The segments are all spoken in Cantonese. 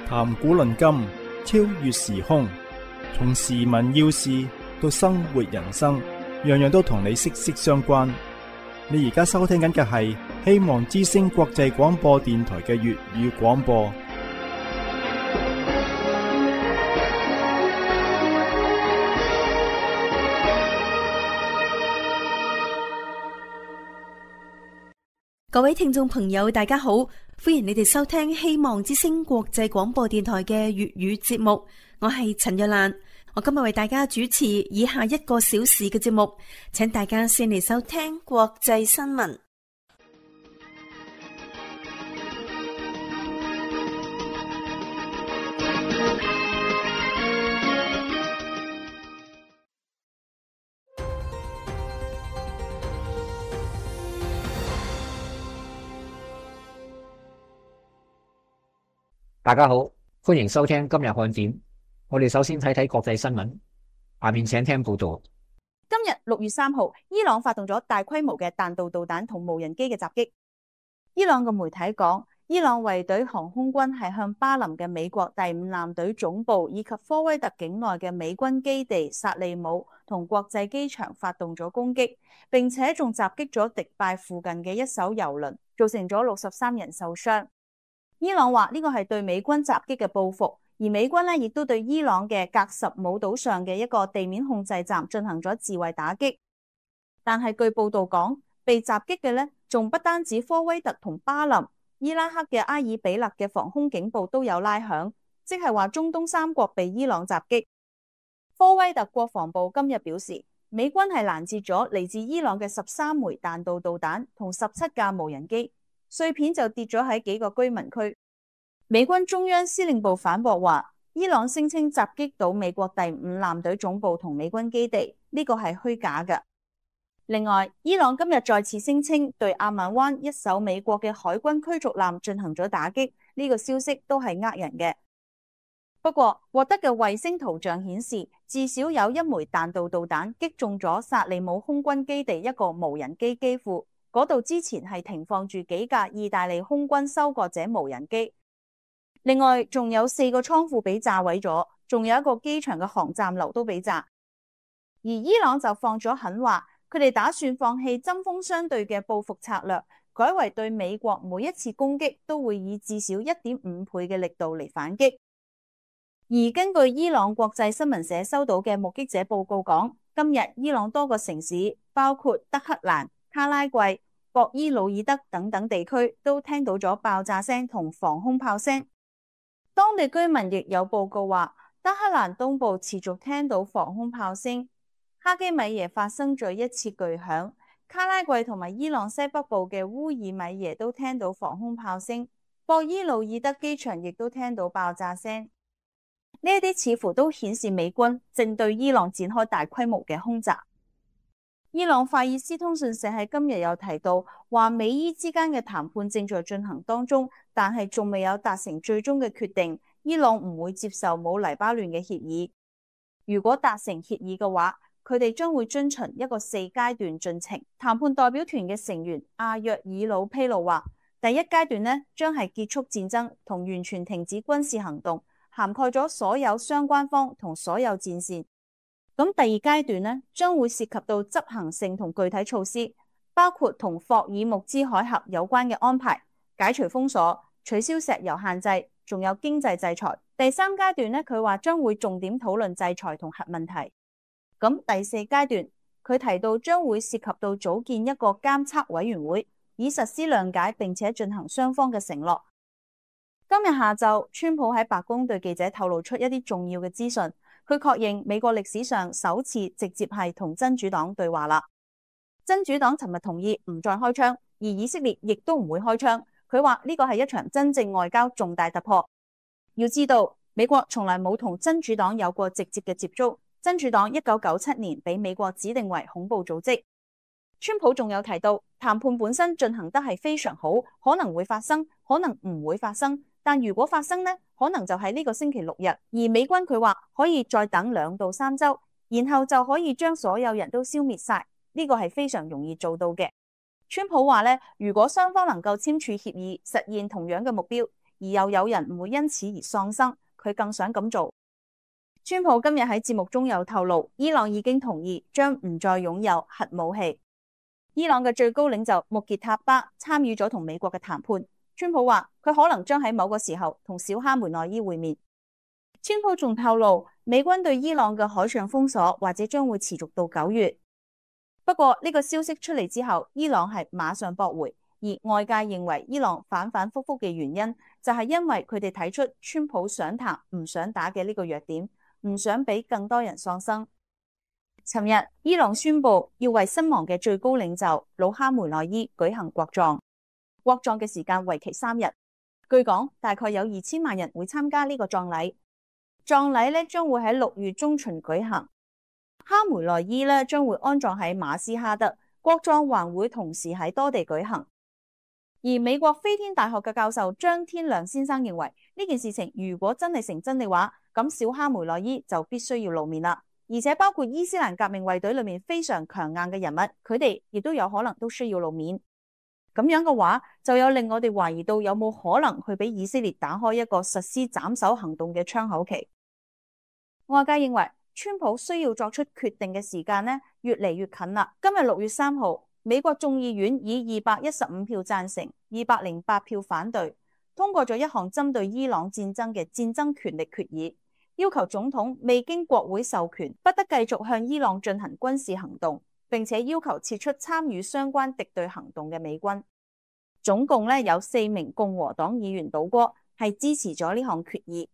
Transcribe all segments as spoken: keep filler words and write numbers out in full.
談古論今，超越時空，從時聞要事到生活人生，樣樣都同你息息相關。你而家收聽緊嘅係希望之聲國際廣播電台嘅粵語廣播。各位聽眾朋友，大家好，歡迎你哋收聽希望之聲國際廣播電台嘅粵語節目。我係陳若蘭，我今日為大家主持以下一個小時嘅節目，請大家先嚟收聽國際新聞。大家好，歡迎收聽今日看點。我哋首先睇睇國際新聞，下面請聽報道。今日六月三號，伊朗發動咗大規模嘅彈道導彈同無人機嘅襲擊。伊朗嘅媒體講，伊朗衛隊航空軍係向巴林嘅美國第五艦隊總部以及科威特境內嘅美軍基地薩利姆同國際機場發動咗攻擊，並且仲襲擊咗迪拜附近嘅一艘油輪，造成咗六十三人受傷。伊朗話呢個係對美軍襲擊嘅報復，而美軍呢亦都對伊朗嘅格什姆島上嘅一個地面控制站進行咗自衛打擊。但係據報道講，被襲擊嘅呢仲不單止科威特同巴林，伊拉克嘅阿爾比勒嘅防空警報都有拉響，即係話中東三國被伊朗襲擊。科威特國防部今日表示，美軍係攔截咗嚟自伊朗嘅十三枚彈道導彈同十七架無人機。碎片就跌咗喺幾個居民區。美軍中央司令部反駁話，伊朗聲稱襲擊到美國第五艦隊總部同美軍基地，呢個係虛假嘅。另外，伊朗今日再次聲稱對阿曼灣一艘美國嘅海軍驅逐艦進行咗打擊，呢個消息都係呃人嘅。不過，獲得嘅衛星圖像顯示，至少有一枚彈道導彈擊中咗薩利姆空軍基地一個無人機機庫。嗰度之前係停放住幾架意大利空軍收割者無人機，另外仲有四個倉庫俾炸毀咗，仲有一個機場嘅航站樓都俾炸。而伊朗就放咗狠話，佢哋打算放棄針鋒相對嘅報復策略，改為對美國每一次攻擊都會以至少一點五倍嘅力度嚟反擊。而根據伊朗國際新聞社收到嘅目擊者報告講，今日伊朗多個城市，包括德黑蘭、卡拉季、博伊魯爾德等等地區都聽到咗爆炸聲同防空炮聲。當地居民亦有報告話，德黑蘭東部持續聽到防空炮聲，哈基米耶發生咗一次巨響，卡拉季同埋伊朗西北部嘅烏爾米耶都聽到防空炮聲，博伊魯爾德機場亦都聽到爆炸聲。呢一啲似乎都顯示美軍正對伊朗展開大規模嘅空襲。伊朗法爾斯通訊社喺今日有提到，話美伊之間嘅談判正在進行當中，但係仲未有達成最終嘅決定。伊朗唔會接受冇黎巴嫩嘅協議。如果達成協議嘅話，佢哋將會遵循一個四階段進程。談判代表團嘅成員阿約爾魯披露話，第一階段呢將係結束戰爭同完全停止軍事行動，涵蓋咗所有相關方同所有戰線。咁第二階段呢，將會涉及到執行性同具體措施，包括同霍爾木茲海峽有關嘅安排、解除封鎖、取消石油限制，仲有經濟制裁。第三階段呢，佢話將會重點討論制裁同核問題。咁第四階段，佢提到將會涉及到組建一個監測委員會，以實施諒解並且進行雙方嘅承諾。今日下晝，川普喺白宮對記者透露出一啲重要嘅資訊。佢確認美國歷史上首次直接係同真主黨對話啦。真主黨尋日同意唔再開槍，而以色列亦都唔會開槍。佢話呢個係一場真正外交重大突破。要知道，美國從來冇同真主黨有過直接嘅接觸。真主黨一九九七年被美國指定為恐怖組織。川普仲有提到，談判本身進行得係非常好，可能會發生，可能唔會發生。但如果發生呢，可能就係呢個星期六日，而美軍佢話可以再等兩到三週，然後就可以將所有人都消滅晒，呢個係非常容易做到嘅。川普話咧，如果雙方能夠簽署協議，實現同樣嘅目標，而又有人唔會因此而喪生，佢更想咁做。川普今日喺節目中有透露，伊朗已經同意將唔再擁有核武器。伊朗嘅最高領袖穆傑塔巴參與咗同美國嘅談判。川普話佢可能將喺某個時候同小哈梅內伊會面。川普仲透露，美軍對伊朗嘅海上封鎖或者將會持續到九月。不過呢個消息出嚟之後，伊朗係馬上駁回，而外界認為伊朗反反复复嘅原因就係因為佢哋睇出川普想談唔想打嘅呢個弱點，唔想俾更多人喪生。尋日伊朗宣布要為身亡嘅最高領袖魯哈梅內伊舉行國葬，國葬嘅時間為期三日，據講大概有二千萬人會參加呢個葬禮。葬禮咧將會喺六月中旬舉行，哈梅內伊咧將會安葬喺馬斯哈德，國葬還會同時喺多地舉行。而美國飛天大學嘅教授張天亮先生認為，呢件事情如果真係成真嘅話，咁小哈梅內伊就必須要露面啦。而且包括伊斯蘭革命衛隊裏面非常強硬嘅人物，佢哋亦都有可能都需要露面。咁樣嘅話，就有令我哋懷疑到有冇可能去俾以色列打開一個實施斬首行動嘅窗口期。外界認為川普需要作出決定嘅時間呢，越嚟越近啦。今日六月三號，美國眾議院以二百一十五票贊成、二百零八票反對，通過咗一項針對伊朗戰爭嘅戰爭權力決議，要求總統未經國會授權，不得繼續向伊朗進行軍事行動，並且要求撤出參與相關敵對行動嘅美軍。總共咧有四名共和黨議員倒戈，係支持咗呢項決議。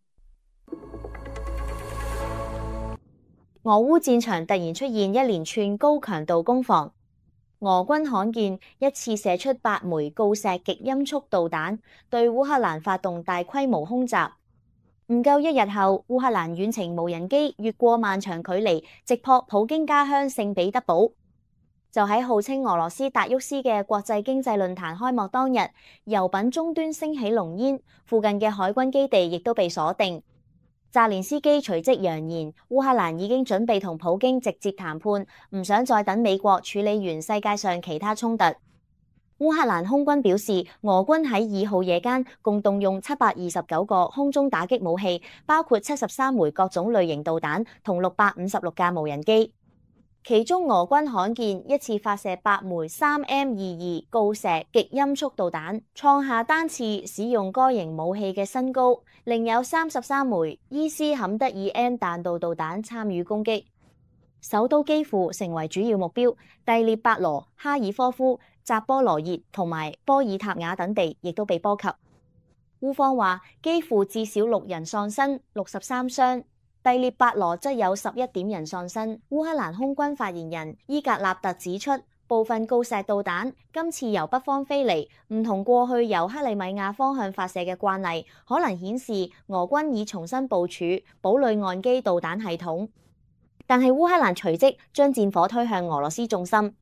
俄烏戰場突然出現一連串高強度攻防，俄軍罕見一次射出八枚鋯石極音速導彈，對烏克蘭發動大規模空襲。唔夠一日後，烏克蘭遠程無人機越過漫長距離，直撲普京家鄉聖彼得堡。就喺號稱俄羅斯達沃斯嘅國際經濟論壇開幕當日，油品終端升起濃煙，附近嘅海軍基地亦都被鎖定。澤連斯基隨即揚言，烏克蘭已經準備同普京直接談判，唔想再等美國處理完世界上其他衝突。烏克蘭空軍表示，俄軍喺二號夜間共動用七百二十九個空中打擊武器，包括七十三枚各種類型導彈同六百五十六架無人機。其中俄軍罕見一次發射八枚三 M 二二鋯石極音速導彈，創下單次使用該型武器嘅新高。另有三十三枚伊斯坎德爾 M 彈道導彈參與攻擊，首都基輔成為主要目標，第聶伯羅、哈爾科夫、扎波羅熱同埋波爾塔瓦等地亦都被波及。烏方話基輔至少六人喪生，六十三傷。第聶伯羅則有十一點人喪生。烏克蘭空軍發言人伊格納特指出，部分鋯石導彈今次由北方飛嚟，唔同過去由克里米亞方向發射嘅慣例，可能顯示俄軍已重新部署堡壘岸基導彈系統。但係烏克蘭隨即將戰火推向俄羅斯重心。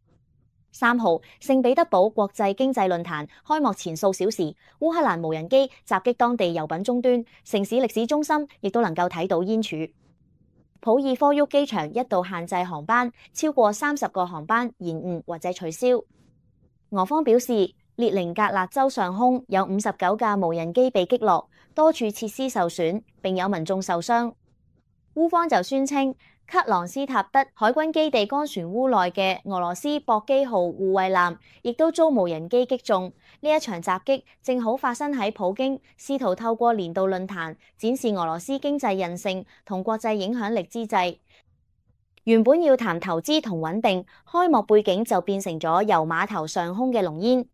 三號，聖彼得堡國際經濟論壇開幕前數小時，烏克蘭無人機襲擊當地油品終端，城市歷史中心亦都能夠睇到煙柱。普爾科沃機場一度限制航班，超過三十個航班延誤或者取消。俄方表示，列寧格勒州上空有五十九架無人機被擊落，多處設施受損，並有民眾受傷。烏方就宣稱，克朗斯塔德海軍基地乾船塢內嘅俄羅斯博基號護衛艦亦都遭無人機擊中。呢一場襲擊正好發生喺普京試圖透過年度論壇展示俄羅斯經濟韌性同國際影響力之際。原本要談投資同穩定，開幕背景就變成咗油碼頭上空嘅濃煙。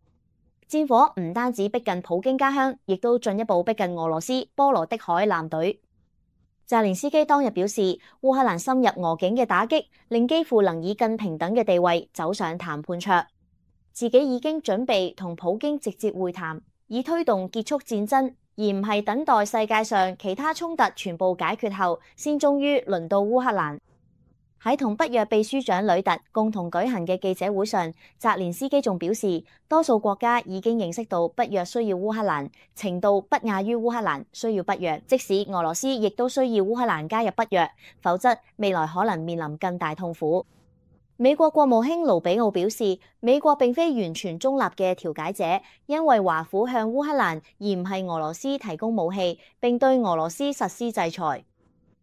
戰火唔單止逼近普京家鄉，亦都進一步逼近俄羅斯波羅的海艦隊。澤連斯基當日表示，烏克蘭深入俄境嘅打擊，令基輔能以更平等嘅地位走上談判桌。自己已經準備同普京直接會談，以推動結束戰爭，而唔係等待世界上其他衝突全部解決後，先終於輪到烏克蘭。喺同北約秘書長呂特共同舉行嘅記者會上，澤連斯基仲表示，多數國家已經認識到北約需要烏克蘭，程度不亞於烏克蘭需要北約，即使俄羅斯亦都需要烏克蘭加入北約，否則未來可能面臨更大痛苦。美國國務卿盧比奧表示，美國並非完全中立嘅調解者，因為華府向烏克蘭而唔係俄羅斯提供武器，並對俄羅斯實施制裁。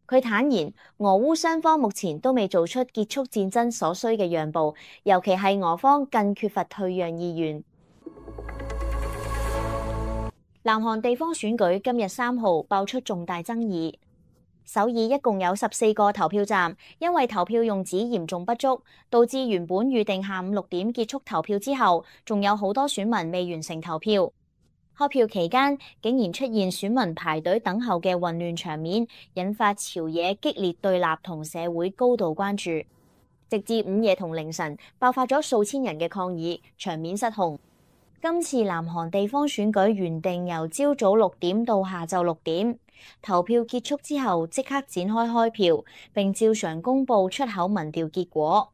佢坦言，俄烏雙方目前都未做出結束戰爭所需嘅讓步，尤其係俄方更缺乏退讓意願。南韓地方選舉今日三號爆出重大爭議。首爾一共有十四個投票站，因為投票用紙嚴重不足，導致原本預定下午六點結束投票之後，仲有好多選民未完成投票。開票期間竟然出現選民排隊等候嘅混亂場面，引發朝野激烈對立同社會高度關注，直至午夜同凌晨爆發咗數千人嘅抗議，場面失控。今次南韓地方選舉原定由朝早六點到下晝六點，投票結束之後即刻展開開票，並照常公佈出口民調結果。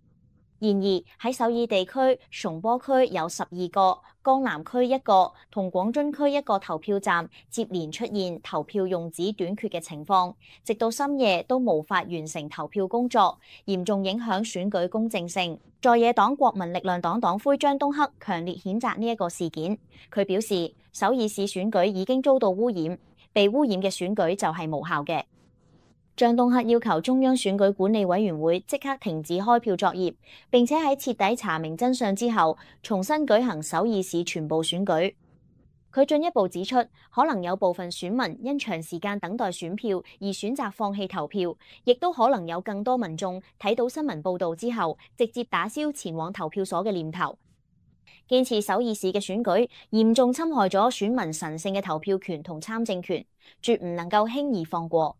然而喺首爾地區，松坡區有十二個，江南區一個同廣津區一個投票站接連出現投票用紙短缺嘅情況，直到深夜都無法完成投票工作，嚴重影響選舉公正性。在野黨國民力量黨黨魁張東赫強烈譴責呢一個事件。佢表示，首爾市選舉已經遭到污染，被污染嘅選舉就係無效嘅。張東赫要求中央選舉管理委員會即刻停止開票作業，並且喺徹底查明真相之後，重新舉行首爾市全部選舉。佢進一步指出，可能有部分選民因長時間等待選票而選擇放棄投票，亦都可能有更多民眾睇到新聞報導之後，直接打消前往投票所嘅念頭。堅持首爾市嘅選舉嚴重侵害咗選民神聖嘅投票權同參政權，絕唔能夠輕易放過。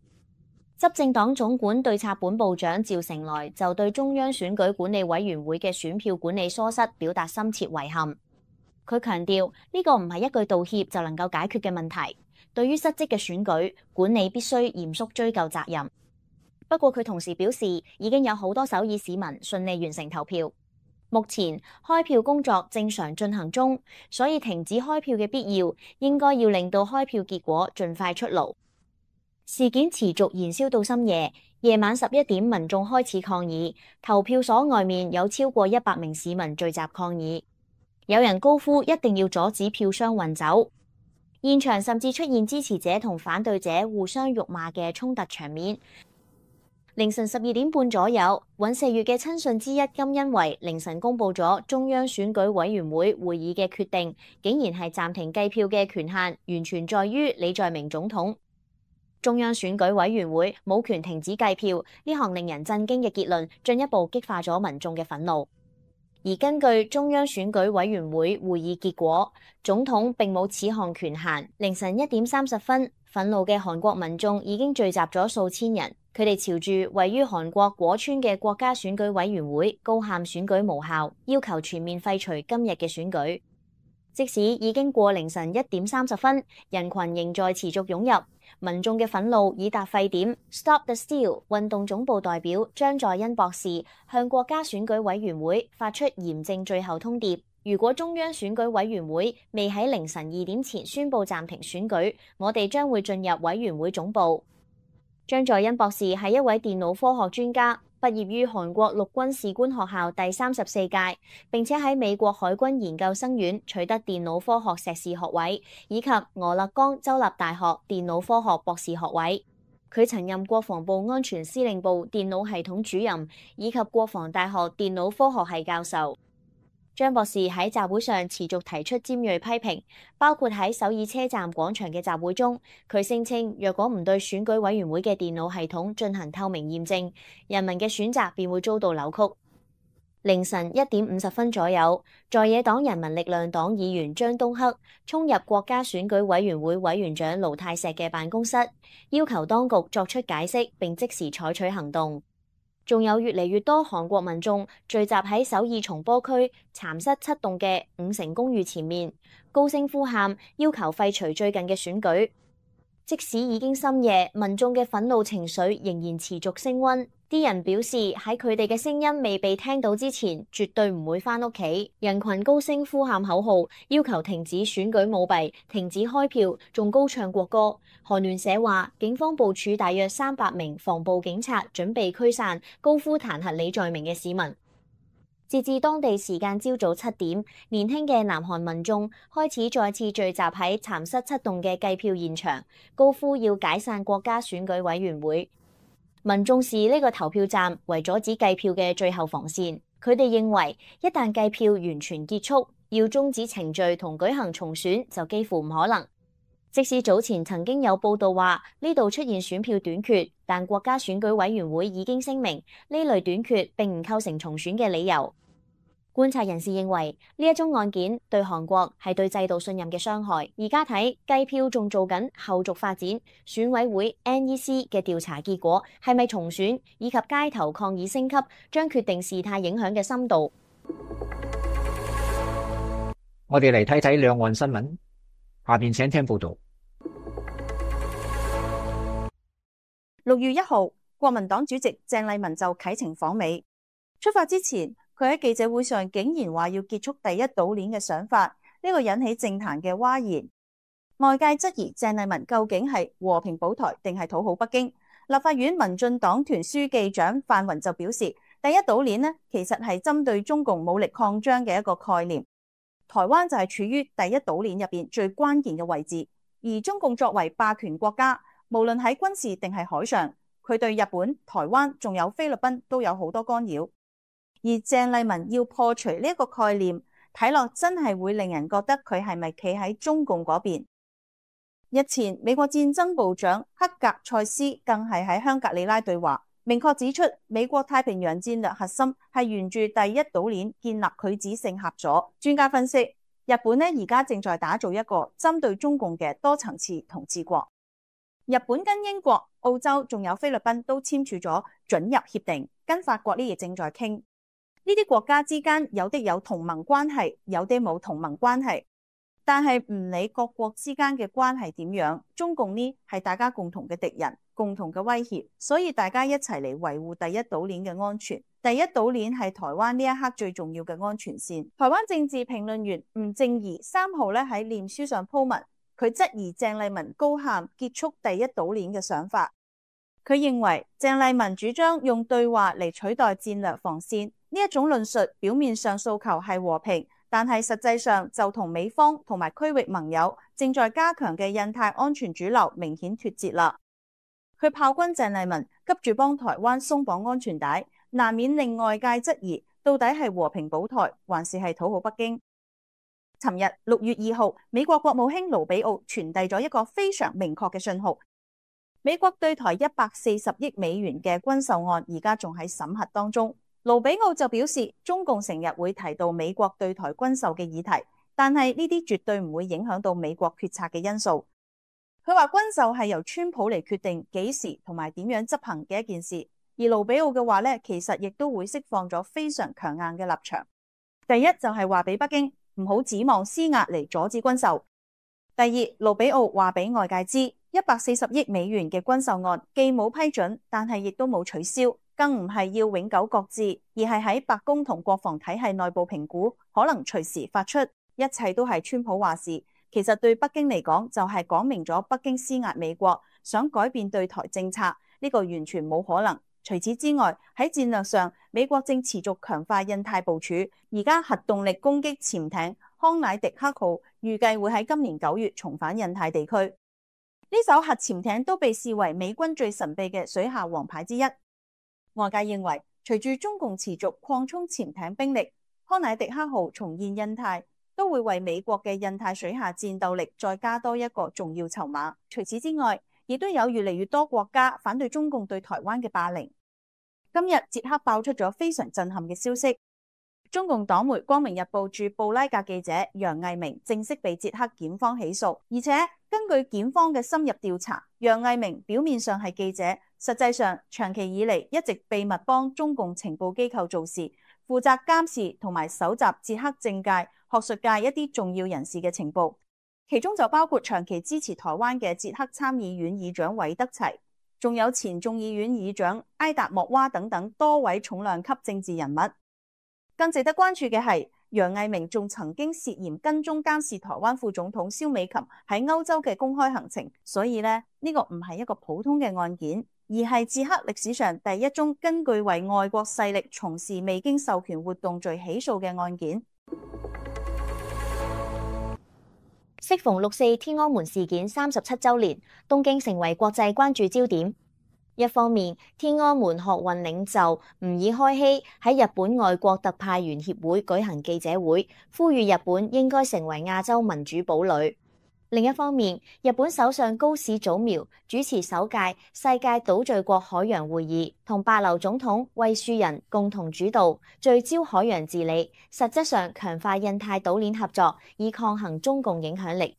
執政黨總管對策本部長趙成來就對中央選舉管理委員會嘅選票管理疏失表達深切遺憾。佢強調呢個唔係一句道歉就能夠解決嘅問題，對於失職嘅選舉管理必須嚴肅追究責任。不過佢同時表示，已經有好多首爾市民順利完成投票，目前開票工作正常進行中，所以停止開票嘅必要應該要令到開票結果盡快出爐。事件持續燃燒到深夜，夜晚十一點，民眾開始抗議，投票所外面有超過一百名市民聚集抗議，有人高呼一定要阻止票箱運走，現場甚至出現支持者同反對者互相辱罵嘅衝突場面。凌晨十二點半左右，尹錫悅嘅親信之一金恩維凌晨公佈咗中央選舉委員會會議嘅決定，竟然係暫停計票嘅權限完全在於李在明總統。中央選舉委員會冇權停止計票，呢項令人震驚嘅結論進一步激化咗民眾嘅憤怒。而根據中央選舉委員會會議結果，總統並冇此項權限。凌晨一點三十分，憤怒嘅韓國民眾已經聚集咗數千人，佢哋朝住位於韓國果川嘅國家選舉委員會高喊選舉無效，要求全面廢除今日嘅選舉。即使已經過凌晨一點三十分，人群仍在持續湧入。民眾嘅憤怒已達沸點。Stop the Steal 運動總部代表張在恩博士向國家選舉委員會發出嚴正最後通牒：如果中央選舉委員會未喺凌晨二點前宣布暫停選舉，我哋將會進入委員會總部。張在恩博士係一位電腦科學專家，畢業於韓國陸軍士官學校第三十四屆，並且喺美國海軍研究生院取得電腦科學碩士學位，以及俄勒岡州立大學電腦科學博士學位。佢曾任國防部安全司令部電腦系統主任，以及國防大學電腦科學系教授。張博士喺集會上持續提出尖銳批評，包括喺首爾車站廣場嘅集會中，佢聲稱若果唔對選舉委員會嘅電腦系統進行透明驗證，人民嘅選擇便會遭到扭曲。凌晨一點五十分左右，在野黨人民力量黨議員張東赫衝入國家選舉委員會委員長盧泰錫嘅辦公室，要求當局作出解釋並即時採取行動。仲有越嚟越多韓國民眾聚集喺首爾松坡區蠶室七棟嘅五成公寓前面，高聲呼喊，要求廢除最近嘅選舉。即使已經深夜，民眾嘅憤怒情緒仍然持續升溫。啲人表示喺佢哋嘅聲音未被聽到之前，絕對唔會返屋企。人群高聲呼喊口號，要求停止選舉舞弊、停止開票，仲高唱國歌。韓聯社話，警方部署大約三百名防暴警察，準備驅散高呼彈劾李在明嘅市民。截至當地時間朝早七點，年輕嘅南韓民眾開始再次聚集喺蠶室七棟嘅計票現場，高呼要解散國家選舉委員會。民眾視呢個投票站為阻止計票嘅最後防線。佢哋認為，一旦計票完全結束，要終止程序同舉行重選就幾乎唔可能。即使早前曾經有報道話呢度出現選票短缺，但國家選舉委員會已經聲明呢類短缺並唔構成重選嘅理由。觀察人士認為呢一宗案件對韓國係對制度信任嘅傷害。而家睇計票仲做緊後續發展，選委會 N E C 嘅調查結果係咪重選，以及街頭抗議升級，將決定事態影響嘅深度。我哋嚟睇睇兩岸新聞。下面請聽報道。六月一號，國民黨主席鄭麗文就啟程訪美。出發之前，佢喺記者會上竟然話要結束第一島鏈嘅想法，呢個引起政壇嘅譁然。外界質疑鄭麗文究竟係和平保台定係討好北京。立法院民進黨團書記長范雲就表示，第一島鏈呢其實係針對中共武力擴張嘅一個概念。台灣就係處於第一島鏈入邊最關鍵嘅位置，而中共作為霸權國家，無論喺軍事定係海上，佢對日本、台灣仲有菲律賓都有好多干擾。而鄭麗文要破除呢一個概念，睇落真係會令人覺得佢係咪企喺中共嗰邊。日前，美國戰爭部長克格塞斯更係喺香格里拉對話，明確指出美國太平洋戰略核心係沿住第一島鏈建立拒止性合作。專家分析，日本呢而家正在打造一個針對中共嘅多層次統治國。日本跟英國、澳洲仲有菲律賓都簽署咗准入協定，跟法國呢亦正在傾。呢啲國家之間有的有同盟關係，有啲冇同盟關係。但係唔理各國之間嘅關係點樣，中共呢係大家共同嘅敵人，共同嘅威脅，所以大家一齊嚟維護第一島鏈嘅安全。第一島鏈係台灣呢一刻最重要嘅安全線。台灣政治評論員吳正儀三號咧喺臉書上鋪文，佢質疑鄭麗文高喊結束第一島鏈嘅想法。佢認為鄭麗文主張用對話嚟取代戰略防線，呢一種論述表面上訴求係和平，但係實際上就同美方同埋區域盟友正在加強嘅印太安全主流明顯脫節啦。佢炮轟鄭麗文急住幫台灣鬆綁安全帶，難免令外界質疑到底係和平保台還是係討好北京。尋日六月二號，美國國務卿盧比奧傳遞咗一個非常明確嘅信號，美國對台一百四十億美元嘅軍售案而家仲喺審核當中。盧比奧就表示，中共成日會提到美國對台軍售嘅議題，但係呢啲絕對唔會影響到美國決策嘅因素。佢話軍售係由川普嚟決定幾時同埋點樣執行嘅一件事，而盧比奧嘅話呢，其實亦都會釋放咗非常強硬嘅立場。第一就係話俾北京唔好指望施壓嚟阻止軍售。第二，盧比奧話俾外界知，一百四十億美元嘅軍售案既冇批准，但係亦都冇取消，更唔係要永久擱置，而係喺白宮同國防體系內部評估，可能隨時發出。一切都係川普話事。其實對北京嚟講，就係講明咗北京施壓美國，想改變對台政策，呢個完全冇可能。除此之外，喺戰略上，美國正持續強化印太部署，而家核動力攻擊潛艇康乃狄克號預計會喺今年九月重返印太地區。呢艘核潛艇都被視為美軍最神秘嘅水下王牌之一。外界認為，隨住中共持續擴充潛艇兵力，康乃狄克號重現印太，都會為美國嘅印太水下戰鬥力再加多一個重要籌碼。除此之外，亦都有越嚟越多國家反對中共對台灣嘅霸凌。今日捷克爆出咗非常震撼嘅消息，中共黨媒《光明日報》駐布拉格記者楊毅明正式被捷克檢方起訴，而且根據檢方嘅深入調查，楊毅明表面上係記者，實際上長期以嚟一直秘密幫中共情報機構做事，負責監視同埋搜集捷克政界、學術界一啲重要人士嘅情報，其中就包括長期支持台灣嘅捷克參議院議長韋德齊，仲有前眾議院議長埃達莫娃等等多位重量級政治人物。更值得關注嘅係，楊毅明仲曾經涉嫌跟蹤監視台灣副總統蕭美琴喺歐洲嘅公開行程，所以呢，呢個唔係一個普通嘅案件，而係捷克歷史上第一宗根據為外國勢力從事未經授權活動罪起訴嘅案件。適逢六四天安門事件三十七週年，東京成為國際關注焦點。一方面，天安門學運領袖吾爾開希喺日本外國特派員協會舉行記者會，呼籲日本應該成為亞洲民主堡壘。另一方面，日本首相高市早苗主持首屆世界島嶼國海洋會議，同帛琉總統惠恕仁共同主導，聚焦海洋治理，實質上強化印太島鏈合作，以抗衡中共影響力。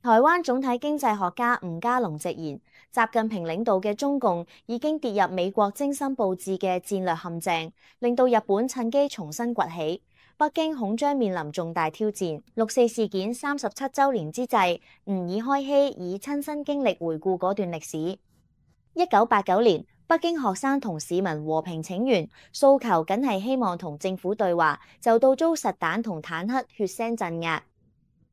台灣總體經濟學家吳家龍直言，習近平領導嘅中共已經跌入美國精心佈置嘅戰略陷阱，令到日本趁機重新崛起。北京恐將面臨重大挑戰。六四事件三十七週年之際，吾爾開希以親身經歷回顧嗰段歷史。一九八九年，北京學生同市民和平請願，訴求僅係希望同政府對話，就到遭實彈同坦克血腥鎮壓。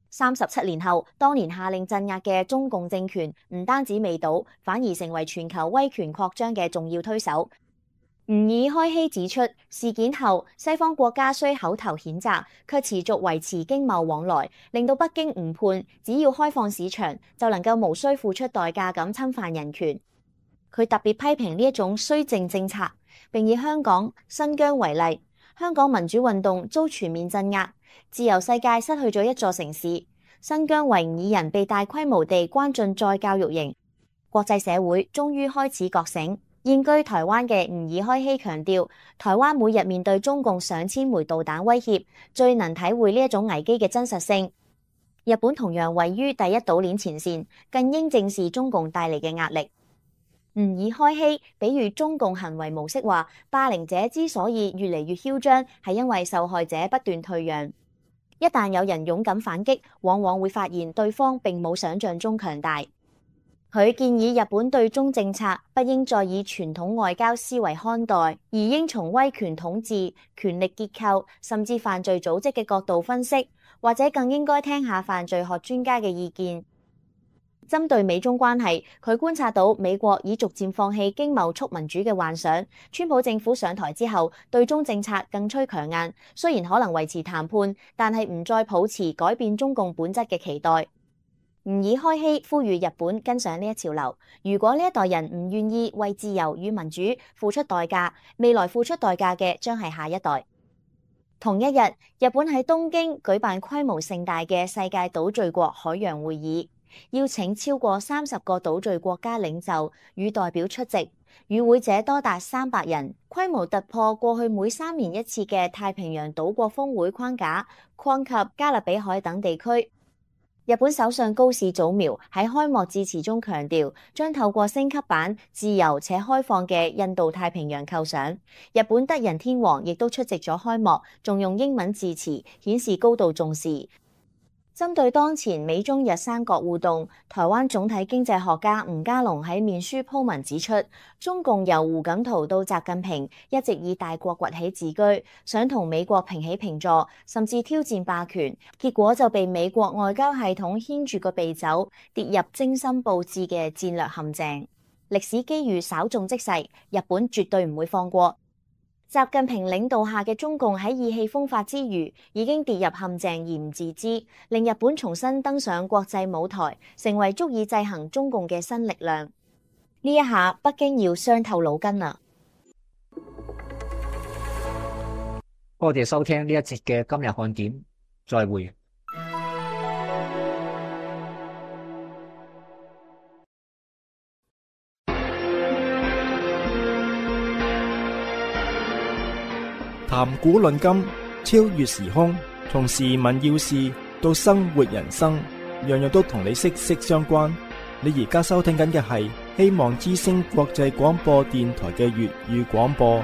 三十七年後，當年下令鎮壓嘅中共政權唔單止未倒，反而成為全球威權擴張嘅重要推手。吾爾開希指出，事件後西方國家雖口頭譴責，卻持續維持經貿往來，令到北京誤判只要開放市場就能夠無需付出代價咁侵犯人權。佢特別批評呢一種綏靖政策，並以香港、新疆為例，香港民主運動遭全面鎮壓，自由世界失去咗一座城市，新疆維吾爾人被大規模地關進再教育營，國際社會終於開始覺醒。現居台灣嘅吾爾開希強調，台灣每日面對中共上千枚導彈威脅，最能體會呢一種危機嘅真實性。日本同樣位於第一島鏈前線，更應正視中共帶嚟嘅壓力。吾爾開希比喻中共行為模式話，霸凌者之所以越嚟越囂張，係因為受害者不斷退讓。一旦有人勇敢反擊，往往會發現對方並冇想象中強大。佢建議日本對中政策不應再以傳統外交思維看待，而應從威權統治、權力結構甚至犯罪組織嘅角度分析，或者更應該聽下犯罪學專家嘅意見。針對美中關係，佢觀察到美國已逐漸放棄經貿促民主嘅幻想，川普政府上台之後，對中政策更趨強硬，雖然可能維持談判，但係唔再抱持改變中共本質嘅期待。吾爾開希呼籲日本跟上呢一潮流，如果呢一代人唔願意為自由與民主付出代價，未來付出代價嘅將係下一代。同一日，日本喺東京舉辦規模盛大嘅世界島嶼國海洋會議，邀請超過三十個島嶼國家領袖與代表出席，與會者多達三百人，規模突破過去每三年一次嘅太平洋島國峰會框架，擴及加勒比海等地區。日本首相高市早苗喺開幕致辭中強調，將透過升級版自由且開放嘅印度太平洋構想。日本德仁天皇亦都出席咗開幕，仲用英文致辭，顯示高度重視。針對當前美中日三國互動，台灣總體經濟學家吳家龍喺面書鋪文指出，中共由胡錦濤到習近平一直以大國崛起自居，想同美國平起平坐，甚至挑戰霸權，結果就被美國外交系統牽住個鼻走，跌入精心佈置嘅戰略陷阱。歷史機遇稍縱即逝，日本絕對唔會放過。習近平領導下嘅中共喺意氣風發之餘，已經跌入陷阱而唔自知，令日本重新登上國際舞台，成為足以制衡中共嘅新力量。呢一下，北京要傷透腦筋啦！多謝收聽呢一節嘅今日看點，再會。談古論今，超越時空，從時聞要事到生活人生，樣樣都同你息息相關。你而家收聽緊嘅係希望之聲國際廣播電台嘅粵語廣播。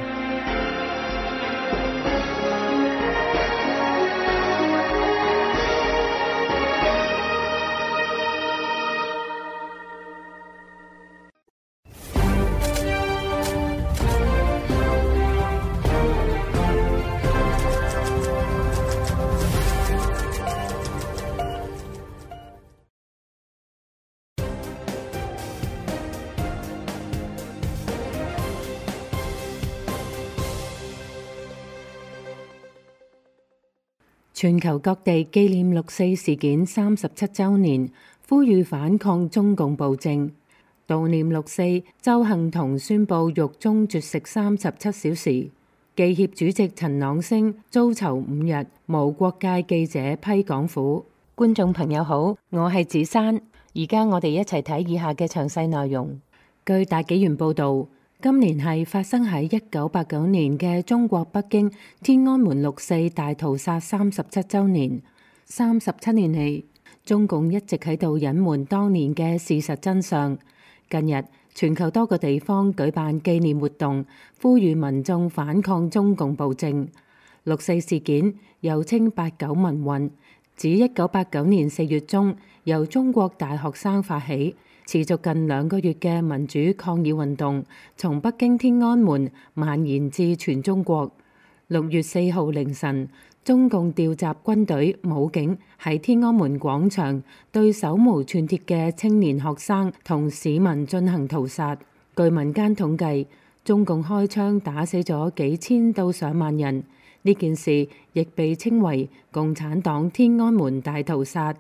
全球各地紀念六四事件三十七週年，呼籲反抗中共暴政。悼念六四，鄒幸彤宣布獄中絕食三十七小時。記協主席陳朗升遭囚五日，無國界記者批港府。觀眾朋友好，我係子珊，而家我哋一齊睇以下嘅詳細內容。據大紀元報導，今年係發生喺一九八九年嘅中國北京天安門六四大屠殺三十七週年。三十七年嚟，中共一直喺度隱瞞當年嘅事實真相。近日，全球多個地方舉辦紀念活動，呼籲民眾反抗中共暴政。六四事件又稱八九民運，自一九八九年四月中由中國大學生發起，持續近兩個月嘅民主抗議運動，從北京天安門蔓延至全中國。六月四號凌晨，中共調集軍隊武警喺天安門廣場對手無寸鐵嘅青年學生同市民進行屠殺。據民間統計，中共開槍打死咗幾千到上萬人。呢件事亦被稱為共產黨天安門大屠殺。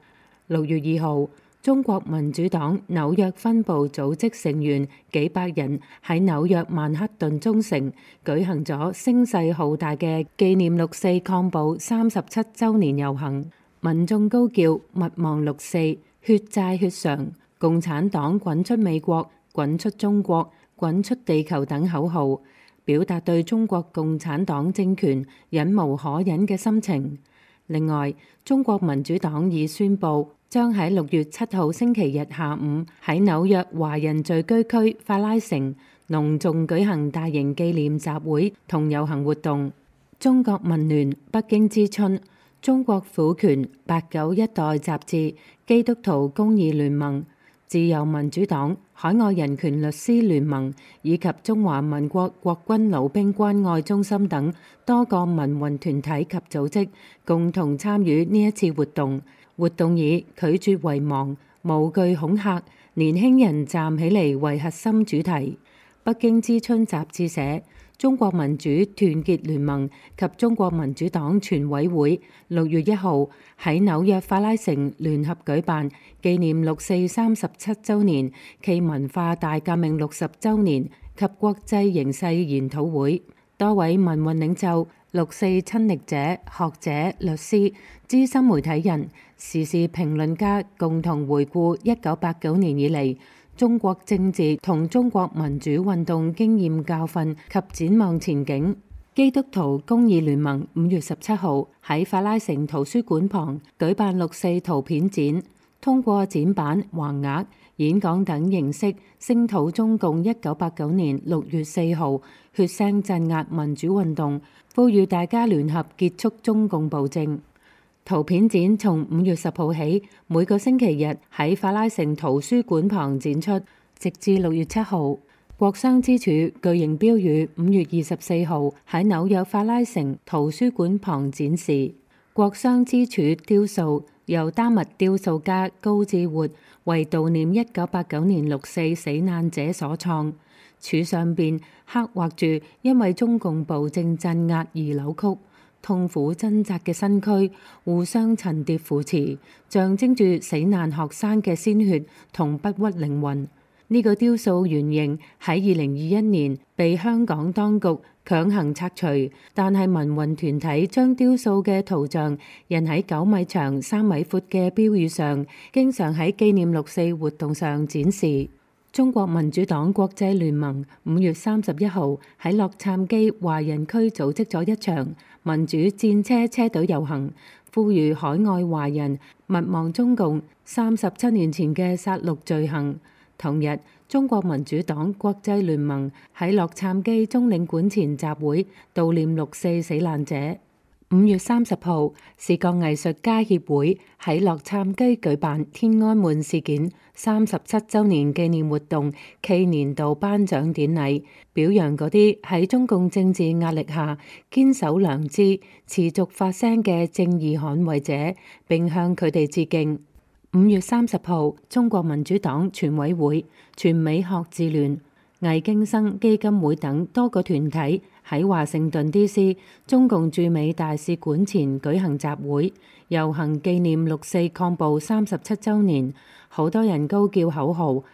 六月二號，中國民主黨紐約分部組織成員幾百人喺紐約曼克頓中城舉行咗聲勢浩大嘅紀念六四抗暴三十七週年遊行，民眾高叫勿忘六四、血債血償、共產黨滾出美國、滾出中國、滾出地球等口號，表達對中國共產黨政權忍無可忍嘅心情。另外，中國民主黨已宣布將喺六月七號星期日下午喺紐約華人聚居區法拉盛隆重舉行大型紀念集會同遊行活動。中國民聯、北京之春、中國婦權、八九一代雜誌、基督徒公義聯盟、自由民主黨、海外人權律師聯盟以及中華民國國軍老兵關愛中心等多個民運團體及組織共同參與呢一次活動。活動以拒絕遺忘、無懼恐嚇、年輕人站起嚟為核心主題。北京之春雜誌社、中國民主團結聯盟及中國民主黨全委會六月一號喺紐約法拉盛聯合舉辦紀念六四三十七週年暨文化大革命六十週年及國際形勢研討會。多位民運領袖、六四親歷者、學者、律師、資深媒體人、時事評論家共同回顧一九八九年以嚟中國政治同中國民主運動經驗教訓及展望前景。基督徒公義聯盟五月十七號喺法拉盛圖書館旁舉辦六四圖片展，通過展板、橫額、演講等形式聲討中共一九八九年六月四號血腥鎮壓民主運動，呼籲大家聯合結束中共暴政。圖片展從五月十號起，每個星期日喺法拉盛圖書館旁展出，直至六月七號。國殤之柱巨型標語五月二十四號喺紐約法拉盛圖書館旁展示。國殤之柱雕塑由丹麥雕塑家高志活為悼念一九八九年六四死難者所創，柱上邊刻畫住因為中共暴政鎮壓而扭曲、痛苦掙扎嘅身軀，互相層疊扶持，象徵住死難學生嘅鮮血同不屈靈魂。呢、這個雕塑原型喺二零二一年被香港當局強行拆除，但係民運團體將雕塑嘅圖像印喺九米長、三米闊嘅標語上，經常喺紀念六四活動上展示。中國民主黨國際聯盟五月三十一號喺洛杉磯華人區組織咗一場民主戰車車隊遊行，呼籲海外華人勿忘中共三十七年前嘅殺戮罪行。同日，中國民主黨國際聯盟喺洛杉磯中領館前集會悼念六四死難者。五月三十號，視覺藝術家協會喺洛杉磯舉辦天安門事件三十七週年紀念活動暨年度頒獎典禮，表揚嗰啲喺中共政治壓力下堅守良知、持續發聲嘅正義捍衛者，並向佢哋致敬。五月三十號，中國民主黨全委會、全美學智聯、魏京生基金會等多個團體喺華盛頓 D C 中共駐美大使館前舉行集會遊行，紀念六四抗暴三十七週年。好多人高叫口號，勿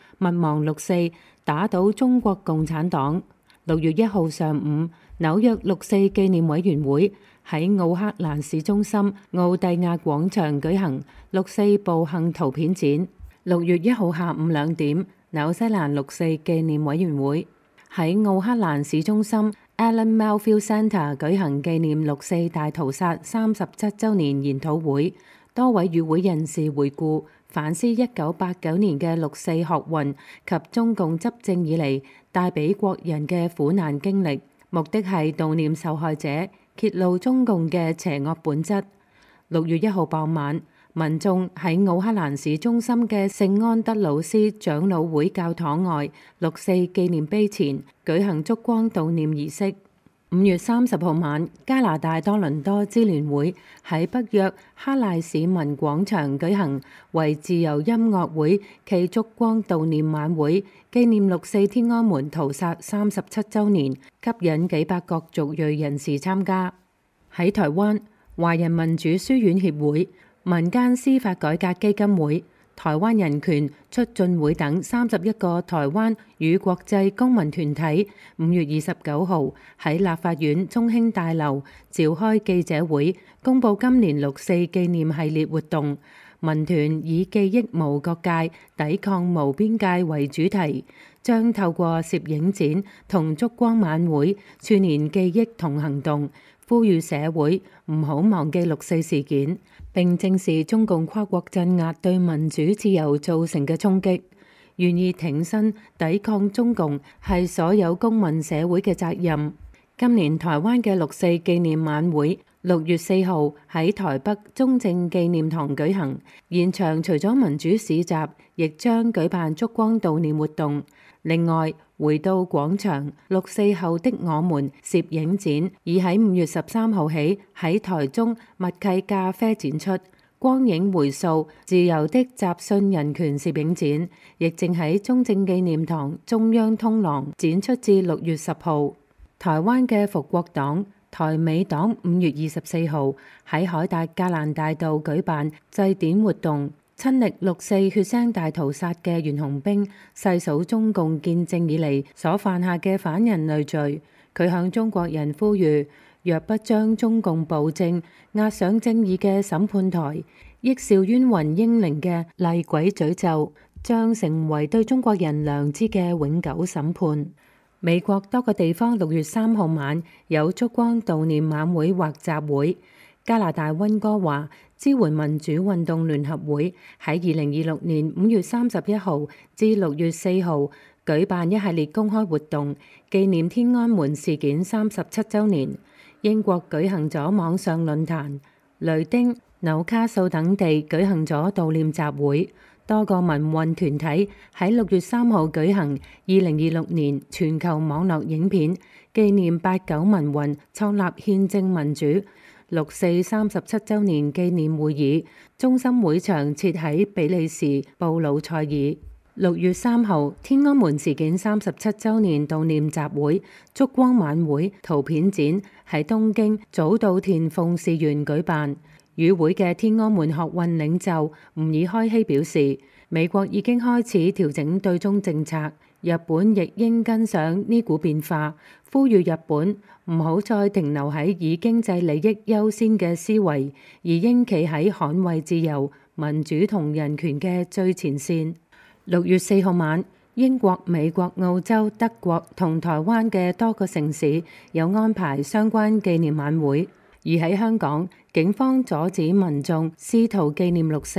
忘六四，打倒中國共產黨。六月一號上午，紐約六四紀念委員會喺奧克蘭市中心奧蒂亞廣場舉行六四步行圖片展。六月一號下午兩點，紐西蘭六四紀念委員會喺奧克蘭市中心 Allan Melfield Centre 舉行紀念六四大屠殺三十七週年研討會，多位與會人士回顧反思一九八九年嘅六四學運及中共執政以嚟帶俾國人嘅苦難經歷，目的係悼念受害者，揭露中共嘅邪惡本質。六月一號傍晚，民眾喺奧克蘭市中心嘅聖安德魯斯長老會教堂外六四紀念碑前舉行燭光悼念儀式。五月三十號晚，加拿大多倫多支聯會喺北約哈賴市民廣場舉行為自由音樂會暨燭光悼念晚會，紀念六四天安門屠殺三十七週年，吸引幾百各族裔人士參加。喺台灣，華人民主書院協會、民間司法改革基金會、台灣人權促進會等三十一個台灣與國際公民團體五月二十九號喺立法院中興大樓召開記者會，公佈今年六四紀念系列活動。民團以記憶無國界，抵抗無邊界為主題，將透過攝影展同燭光晚會串連記憶同行動，呼籲社會唔好忘記六四事件，並正視中共跨國鎮壓對民主自由造成嘅衝擊。願意挺身抵抗中共係所有公民社會嘅責任。今年台灣嘅六四紀念晚會六月四號喺台北中正紀念堂舉行，現場除咗民主市集，亦將舉辦燭光悼念活動。另外，回到廣場，六四後的我們攝影展已喺五月十三號起喺台中默契咖啡展出。光影回溯自由的集信人權攝影展，亦正喺中正紀念堂中央通廊展出至六月十號。台灣嘅復國黨、台美黨五月二十四號喺凱達格蘭大道舉辦祭典活動，親歷六四血腥大屠殺嘅袁弘兵細數中共建政以嚟所犯下嘅反人類罪。佢向中國人呼籲，若不將中共暴政押上正義嘅審判台，億兆冤魂英靈嘅厲鬼詛咒，將成為對中國人良知嘅永久審判。美國多個地方六月三號晚有燭光悼念晚會或集會。加拿大溫哥華支援民主運動聯合會喺二零二六年五月三十一號至六月四號舉辦一系列公開活動，紀念天安門事件三十七週年。英國舉行咗網上論壇，雷丁、紐卡素等地舉行咗悼念集會。多個民運團體喺六月三號舉行二零二六年全球網絡影片紀念八九民運創立憲政民主六四三十七週年紀念會議，中心會場設喺比利時布魯塞爾。六月三號，天安門事件三十七週年悼念集會、燭光晚會、圖片展喺東京早稻田鳳事園舉辦。與會嘅天安門學運領袖吾爾開希表示，美國已經開始調整對中政策，日本亦應跟上呢股變化，呼籲日本唔好再停留喺以經濟利益優先嘅思維，而應企喺捍衛自由、民主同人權嘅最前線。六月四號晚，英國、美國、澳洲、德國同台灣嘅多個城市有安排相關紀念晚會，而喺香港，警方阻止民眾試圖紀念六四。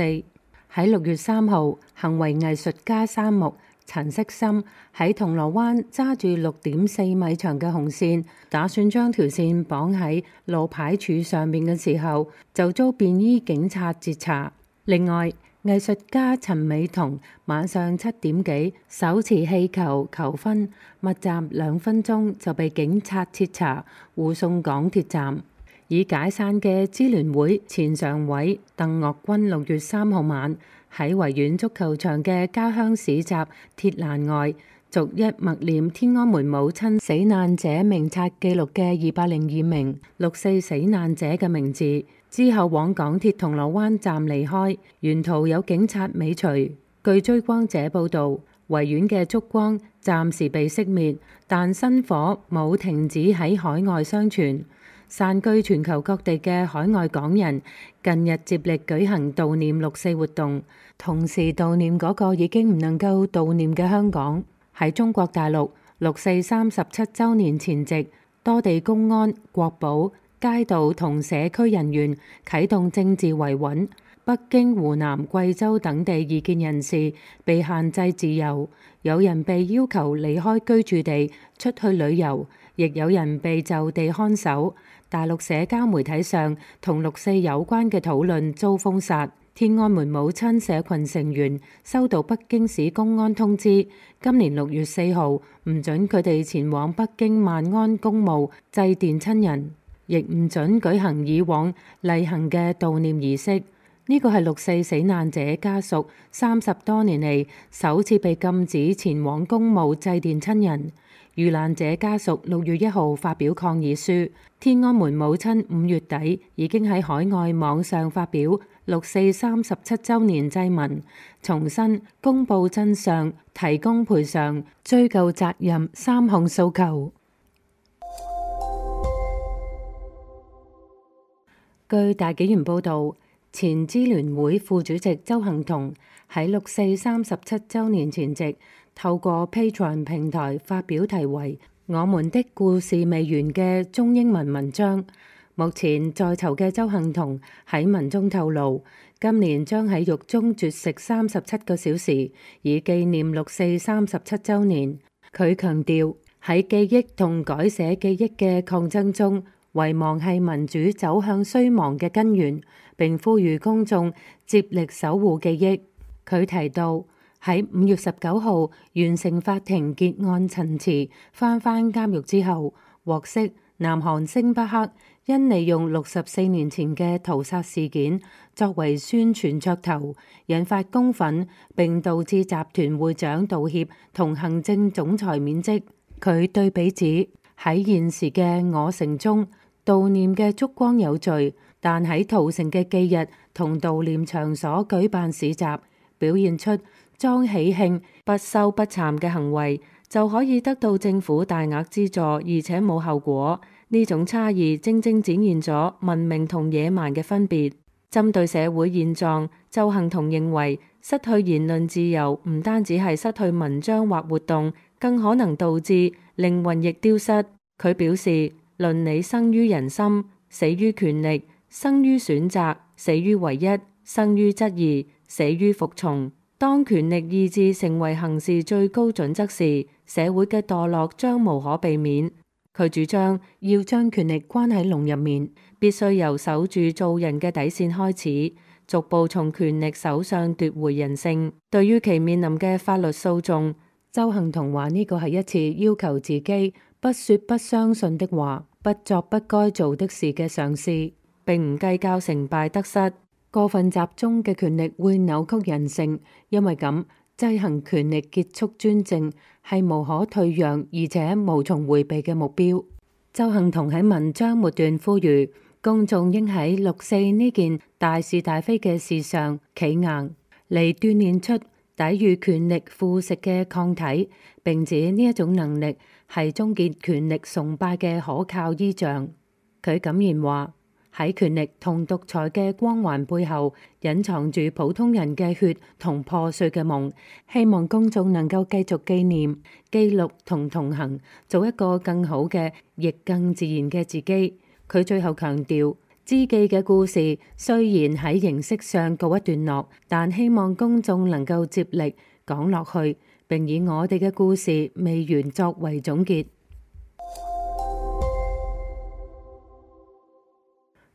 喺六月三號，行為藝術家三木陳色心喺銅鑼灣揸住六點四米長嘅紅線，打算將條線綁喺路牌柱上面嘅時候，就遭便衣警察截查。另外，藝術家陳美彤晚上七點幾手持氣球求婚，密集兩分鐘就被警察截查，護送港鐵站。已解散嘅支聯會前常委鄧岳君六月三號晚喺維園足球場嘅家鄉市集鐵欄外逐一默念天安門母親死難者名冊記錄嘅二百零二名六四死難者嘅名字，之後往港鐵銅鑼灣站離開，沿途有警察尾隨。據追光者報導，維園嘅燭光暫時被熄滅，但新火冇停止喺海外相傳。散居全球各地嘅海外港人近日接力舉行悼念六四活動，同時悼念嗰個已經唔能夠悼念嘅香港。喺中國大陸，六四三十七週年前夕，多地公安、國保、街道同社區人員啟動政治維穩。北京、湖南、貴州等地異見人士被限制自由，有人被要求離開居住地出去旅遊，亦有人被就地看守。大陸社交媒體上同六四有關嘅討論遭封殺。天安門母親社群成員收到北京市公安通知，今年六月四號唔准佢哋前往北京萬安公墓祭奠親人，亦唔准舉行以往例行嘅悼念儀式。呢個係六四死難者家屬三十多年嚟首次被禁止前往公墓祭奠親人。遇難者家屬六月一號發表抗議書，天安門母親五月底已經喺海外網上發表六四三十七週年祭文，重申公佈真相、提供賠償、追究責任三項訴求。據大紀元報導，前支聯會副主席鄒幸彤喺六四三十七週年前夕，透過 Patreon 平台發表題為《我們的故事未完》嘅中英文文章。目前在囚嘅鄒幸彤喺文中透露，今年將喺獄中絕食三十七個小時，以紀念六四三十七週年。佢強調喺記憶同改寫記憶嘅抗爭中，遺忘係民主走向衰亡嘅根源，並呼籲公眾接力守護記憶。佢提到，喺五月十九號完成法庭結案陳詞，翻返監獄之後，獲悉南韓星巴克因利用六十四年前嘅屠殺事件作為宣傳噱頭，引發公憤，並導致集團會長道歉同行政總裁免職。佢對比指喺現時嘅我城中，悼念嘅燭光有序，但喺屠城嘅忌日同悼念場所舉辦市集，表現出裝喜慶不羞不慚嘅行為，就可以得到政府大額資助，而且冇後果。呢種差異正正展現咗文明同野蠻嘅分別。針對社會現狀，鄒幸彤認為失去言論自由唔單止係失去文章或活動，更可能導致靈魂亦丟失。佢表示，倫理生於人心，死於權力；生於選擇，死於唯一；生於質疑，死於服從。當權力意志成為行事最高準則時，社會嘅墮落將無可避免。佢主張要將權力關喺籠入面，必須由守住做人嘅底線開始，逐步從權力手上奪回人性。對於其面臨嘅法律訴訟，鄒幸彤話呢個係一次要求自己不說不相信的話，不作不該做的事嘅嘗試，並唔計較成敗得失。過分集中嘅權力會扭曲人性，因為咁制衡權力結束專政係無可退讓而且無從迴避嘅目標。鄒幸彤喺文章末段呼籲公眾應喺六四呢件大是大非嘅事上企硬，嚟鍛鍊出抵禦權力腐蝕嘅抗體，並指呢一種能力係終結權力崇拜嘅可靠依仗。佢敢言話，喺權力同獨裁嘅光環背後，隱藏住普通人嘅血同破碎嘅夢。希望公眾能夠繼續紀念、記錄同同行，做一個更好嘅，亦更自然嘅自己。佢最後強調，知記嘅故事雖然喺形式上告一段落，但希望公眾能夠接力講落去，並以我哋嘅故事未完作為總結。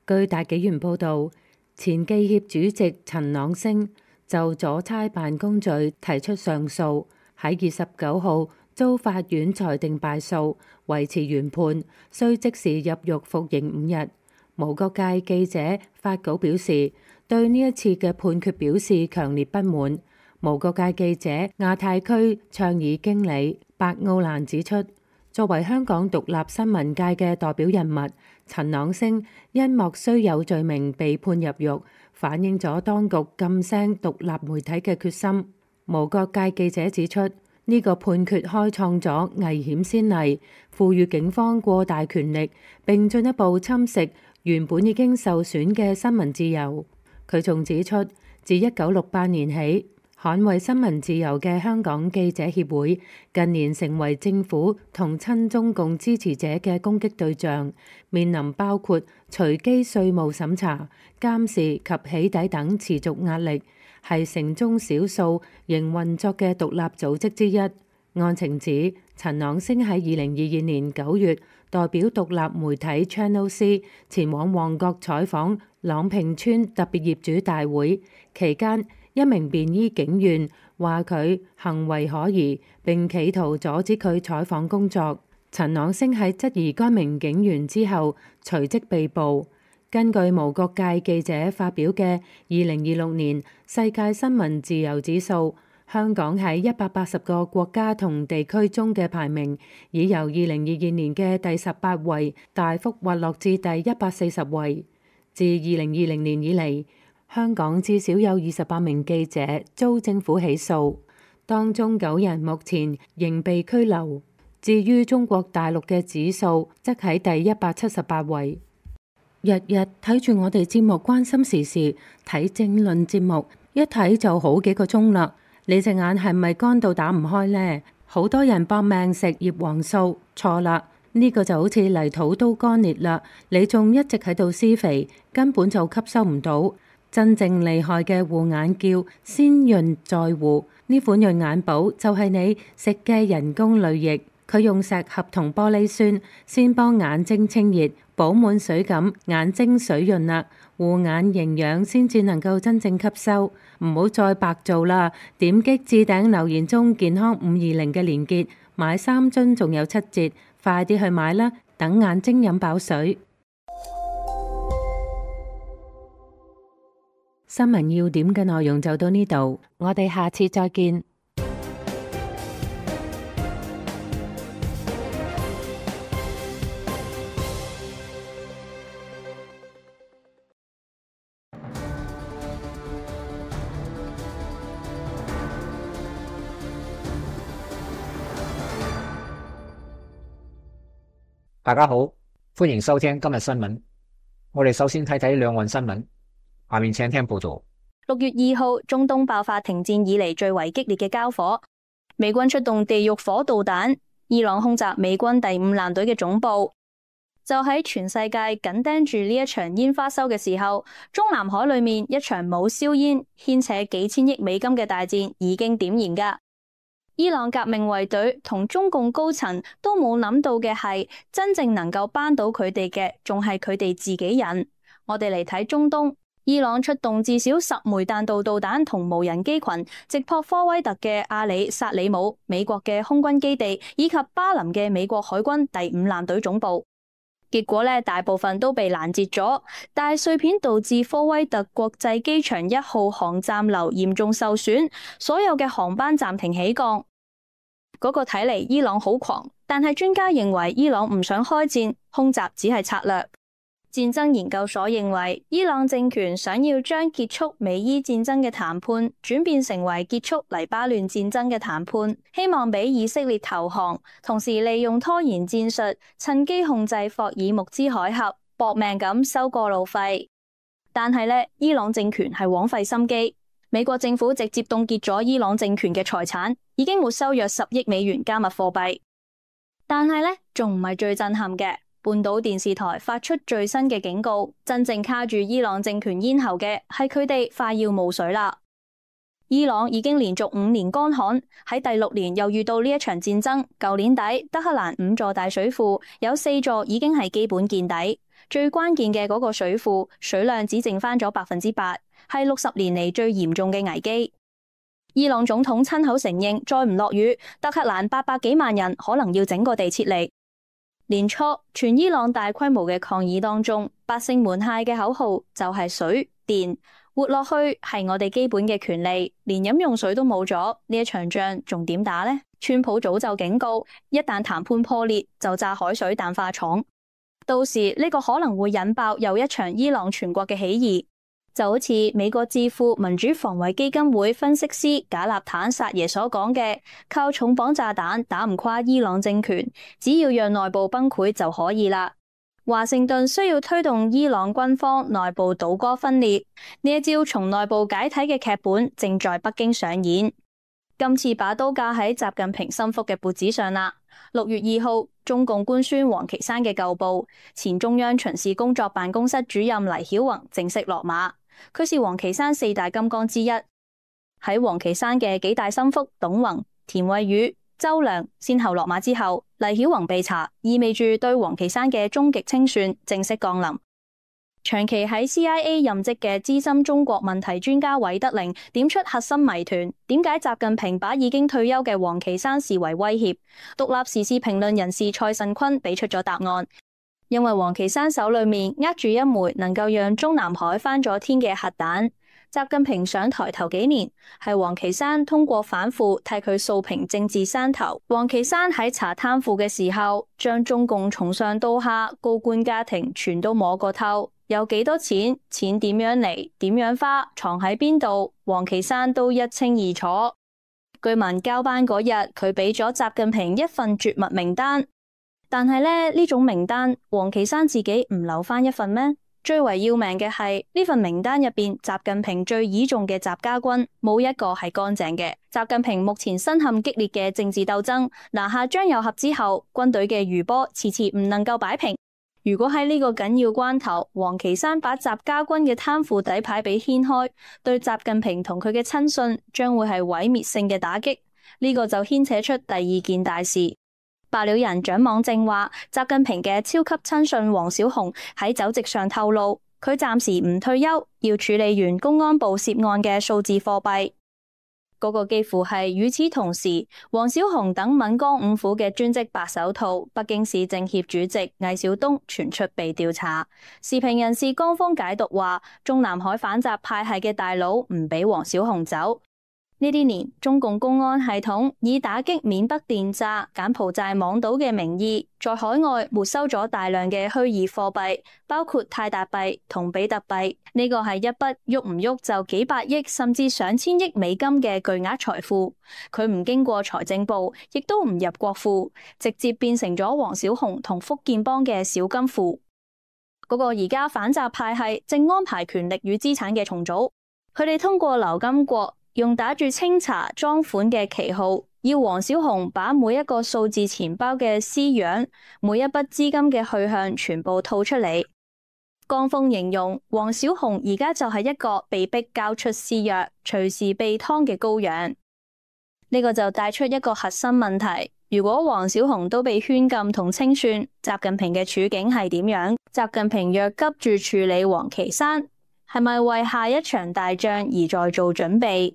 據大紀元報導，前記協主席陳朗升就阻差辦公罪提出上訴，喺二十九號遭法院裁定敗訴，維持原判，需即時入獄服刑五日。無國界記者發稿表示，對呢一次嘅判決表示強烈不滿。無國界記者亞太區倡議經理白奧蘭指出，作為香港獨立新聞界嘅代表人物，陳朗昇因莫須有罪名被判入獄，反映咗當局噤聲獨立媒體嘅決心。無國界記者指出，呢個判決開創咗危險先例，賦予警方過大權力，並進一步侵蝕原本已經受損嘅新聞自由。佢仲指出，自一九六八年起，捍衛新聞自由嘅香港記者協會近年成為政府同親中共支持者嘅攻擊對象，面臨包括隨機稅務審查、監視及起底等持續壓力，係城中少數仍運作嘅獨立組織之一。案情指，陳朗昇喺二零二二年九月代表獨立媒體 Channel C 前往旺角採訪朗屏村特別業主大會期間，一名便衣警員話佢行為可疑，並企圖阻止佢採訪工作。陳朗昇喺質疑該名警員之後，隨即被捕。根據無國界記者發表嘅二零二六年世界新聞自由指數，香港喺一百八十個國家同地區中嘅排名，已由二零二二年嘅第十八位大幅滑落至第一百四十位。自二零二零年以嚟，香港至少有二十八名記者遭政府起訴，當中九人目前仍被拘留。至於中國大陸嘅指數，則喺第一百七十八位。日日睇住我哋節目關心時事，睇政論節目，一睇就好幾個鐘啦。你隻眼係咪乾到打唔開呢？好多人搏命食葉黃素，錯啦，呢個就好似泥土都乾裂啦，你仲一直喺度施肥，根本就吸收唔到。真正厲害嘅護眼叫先潤再護，呢款潤眼寶就係你食嘅人工淚液，佢用石合同玻璃酸先幫眼睛清熱，補滿水咁，眼睛水潤啦，護眼營養先至能夠真正吸收。唔好再白做啦，點擊置頂留言中健康五二零嘅連結，買三樽仲有七折，快啲去買啦，等眼睛飲飽水。新聞要點嘅內容就到呢度，我哋下次再見。大家好，歡迎收聽今日新聞。我哋首先睇睇兩岸新聞，下面請聽報道。六月二號，中東爆發停戰以嚟最為激烈嘅交火，美軍出動地獄火導彈，伊朗空襲美軍第五艦隊嘅總部。就喺全世界緊盯住呢一場煙花秀嘅時候，中南海裏面一場冇硝煙、牽扯幾千億美金嘅大戰已經點燃噶。伊朗革命衛隊同中共高層都冇諗到嘅係，真正能夠扳倒佢哋嘅，仲係佢哋自己人。我哋嚟睇中東，伊朗出動至少十枚彈道導彈同無人機群，直撲科威特嘅阿里薩里姆美國嘅空軍基地，以及巴林嘅美國海軍第五艦隊總部。結果呢，大部分都被攔截咗，大碎片導致科威特國際機場一號航站樓嚴重受損，所有嘅航班暫停起降。嗰個睇嚟伊朗好狂，但係專家認為伊朗唔想開戰，空襲只係策略。戰爭研究所認為，伊朗政權想要將結束美伊戰爭嘅談判轉變成為結束黎巴嫩戰爭嘅談判，希望俾以色列投降，同時利用拖延戰術，趁機控制霍爾木茲海峽，搏命咁收過路費。但係呢，伊朗政權係枉費心機，美國政府直接凍結咗伊朗政權嘅財產，已經沒收約十億美元加密貨幣。但係呢，仲唔係最震撼嘅。半島電視台發出最新嘅警告，真正卡住伊朗政權咽喉嘅係佢哋快要冇水啦。伊朗已經連續五年乾旱，喺第六年又遇到呢一場戰爭。舊年底，德黑蘭五座大水庫有四座已經係基本見底，最關鍵嘅嗰個水庫水量只剩翻咗百分之八，係六十年嚟最嚴重嘅危機。伊朗總統親口承認，再唔落雨，德黑蘭八百幾萬人可能要整個地撤離。年初，全伊朗大規模嘅抗議當中，百姓們嗌嘅口號就係水電。活落去係我哋基本嘅權利，連飲用水都冇咗，呢一場仗仲點打呢？川普早就警告，一旦談判破裂，就炸海水淡化廠。到時呢個可能會引爆又一場伊朗全國嘅起義，就好似美國智庫民主防衛基金會分析師賈納坦薩耶所講嘅，靠重磅炸彈打唔垮伊朗政權，只要讓內部崩潰就可以啦。華盛頓需要推動伊朗軍方內部倒戈分裂，呢一招從內部解體嘅劇本正在北京上演。今次把刀架喺習近平心腹嘅脖子上啦。六月二號，中共官宣王岐山嘅舊部前中央巡視工作辦公室主任黎曉宏正式落馬。佢是王岐山四大金剛之一。喺王岐山嘅幾大心腹董宏、田惠宇、周良先後落馬之後，黎曉宏被查，意味住對王岐山嘅終極清算正式降臨。長期喺 C I A 任職嘅資深中國問題專家韋德玲點出核心謎團：點解習近平把已經退休嘅王岐山視為威脅？獨立時事評論人士蔡慎坤俾出咗答案。因為王岐山手裏面握住一枚能夠讓中南海翻咗天嘅核彈。習近平上台頭幾年，係王岐山通過反腐替佢掃平政治山頭。王岐山喺查貪腐嘅時候，將中共從上到下高官家庭全都摸過透。有幾多錢，錢點樣嚟，點樣花，藏喺邊度，王岐山都一清二楚。據聞交班嗰日，佢俾咗習近平一份絕密名單，但係咧呢種名單，王岐山自己唔留翻一份咩？最為要命嘅係呢份名單入邊，習近平最倚重嘅習家軍冇一個係乾淨嘅。習近平目前身陷激烈嘅政治鬥爭，拿下張又俠之後，軍隊嘅餘波遲遲唔能夠擺平。如果喺呢個緊要關頭，王岐山把習家軍嘅貪腐底牌俾掀開，對習近平同佢嘅親信將會係毀滅性嘅打擊。呢、這個就牽扯出第二件大事。爆料人蔣網正話，習近平嘅超級親信王小洪喺酒席上透露，佢暫時唔退休，要處理完公安部涉案嘅數字貨幣。嗰個幾乎係與此同時，王小洪等閩江五府嘅專職白手套北京市政協主席魏小東傳出被調查。時評人士江峰解讀話，中南海反習派系嘅大佬唔俾王小洪走。呢啲年，中共公安系統以打擊緬北電詐、柬埔寨網賭嘅名義，在海外沒收咗大量嘅虛擬貨幣，包括泰達幣同比特幣。呢個係一筆喐唔喐就幾百億甚至上千億美金嘅巨額財富。佢唔經過財政部，亦都唔入國庫，直接變成咗王小洪同福建幫嘅小金庫。嗰個而家反習派系正安排權力與資產嘅重組，佢哋通過劉金國，用打住清查贓款嘅旗號，要王小洪把每一個數字錢包嘅私樣，每一筆資金嘅去向全部吐出嚟。江峰形容王小洪而家就係一個被逼交出私約、隨時被劏嘅羔羊。呢個就帶出一個核心問題：如果王小洪都被圈禁同清算，習近平嘅處境係點樣？習近平若急住處理王岐山，係咪為下一場大仗而在做準備？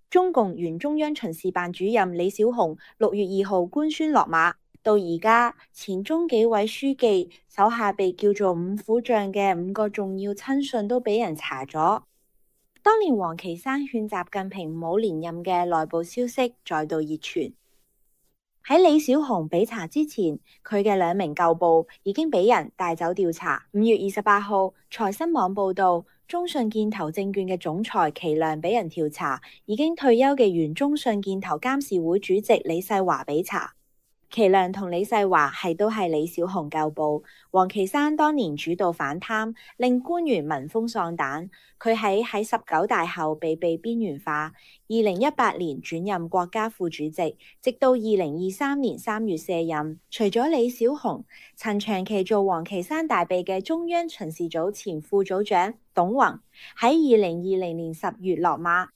中共原中央巡視辦主任李小洪六月二號官宣落馬，到而家前中紀委書記手下被叫做五虎將嘅五個重要親信都俾人查咗。當年王岐山勸習近平唔好連任嘅內部消息再度熱傳。喺李小洪被查之前，佢嘅兩名舊部已經俾人帶走調查。五月二十八號，財新網報道，中信建投證券嘅總裁祁亮俾人調查，已經退休嘅原中信建投監事會主席李世華俾查。祁亮同李世華係都係李小洪舊部。王岐山當年主導反貪，令官員聞風喪膽。佢喺喺十九大後被被邊緣化。二零一八年轉任國家副主席，直到二零二三年三月卸任。除咗李小洪，曾長期做王岐山大秘嘅中央巡視組前副組長董宏喺二零二零年十月落馬。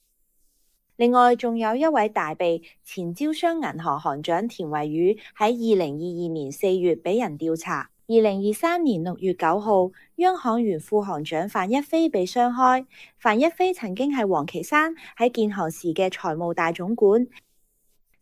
另外，仲有一位大秘前招商銀行行長田惠宇喺二零二二年四月俾人調查。二零二三年六月九號，央行原副行長范一飛被雙開。范一飛曾經係王岐山喺建行時嘅財務大總管。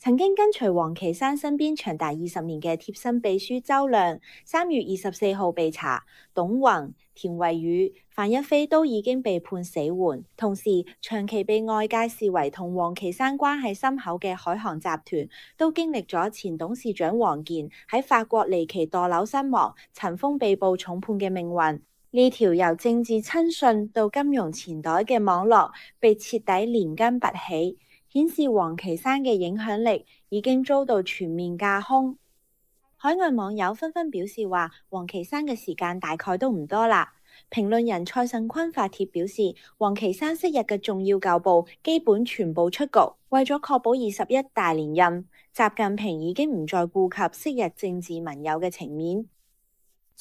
曾經跟隨王岐山身邊長達二十年嘅貼身秘書周亮，三月二十四號被查，董宏、田惠宇、范一飛都已經被判死緩。同時，長期被外界視為同王岐山關係深厚嘅海航集團，都經歷咗前董事長王健喺法國離奇墮樓身亡、陳鋒被捕重判嘅命運。呢條由政治親信到金融錢袋嘅網絡被徹底連根拔起，顯示王岐山嘅影響力已經遭到全面架空。海外網友紛紛表示話，王岐山嘅時間大概都唔多啦。評論人蔡慎坤發帖表示，王岐山昔日嘅重要舊部基本全部出局，為咗確保二十一大連任，習近平已經唔再顧及昔日政治盟友嘅情面。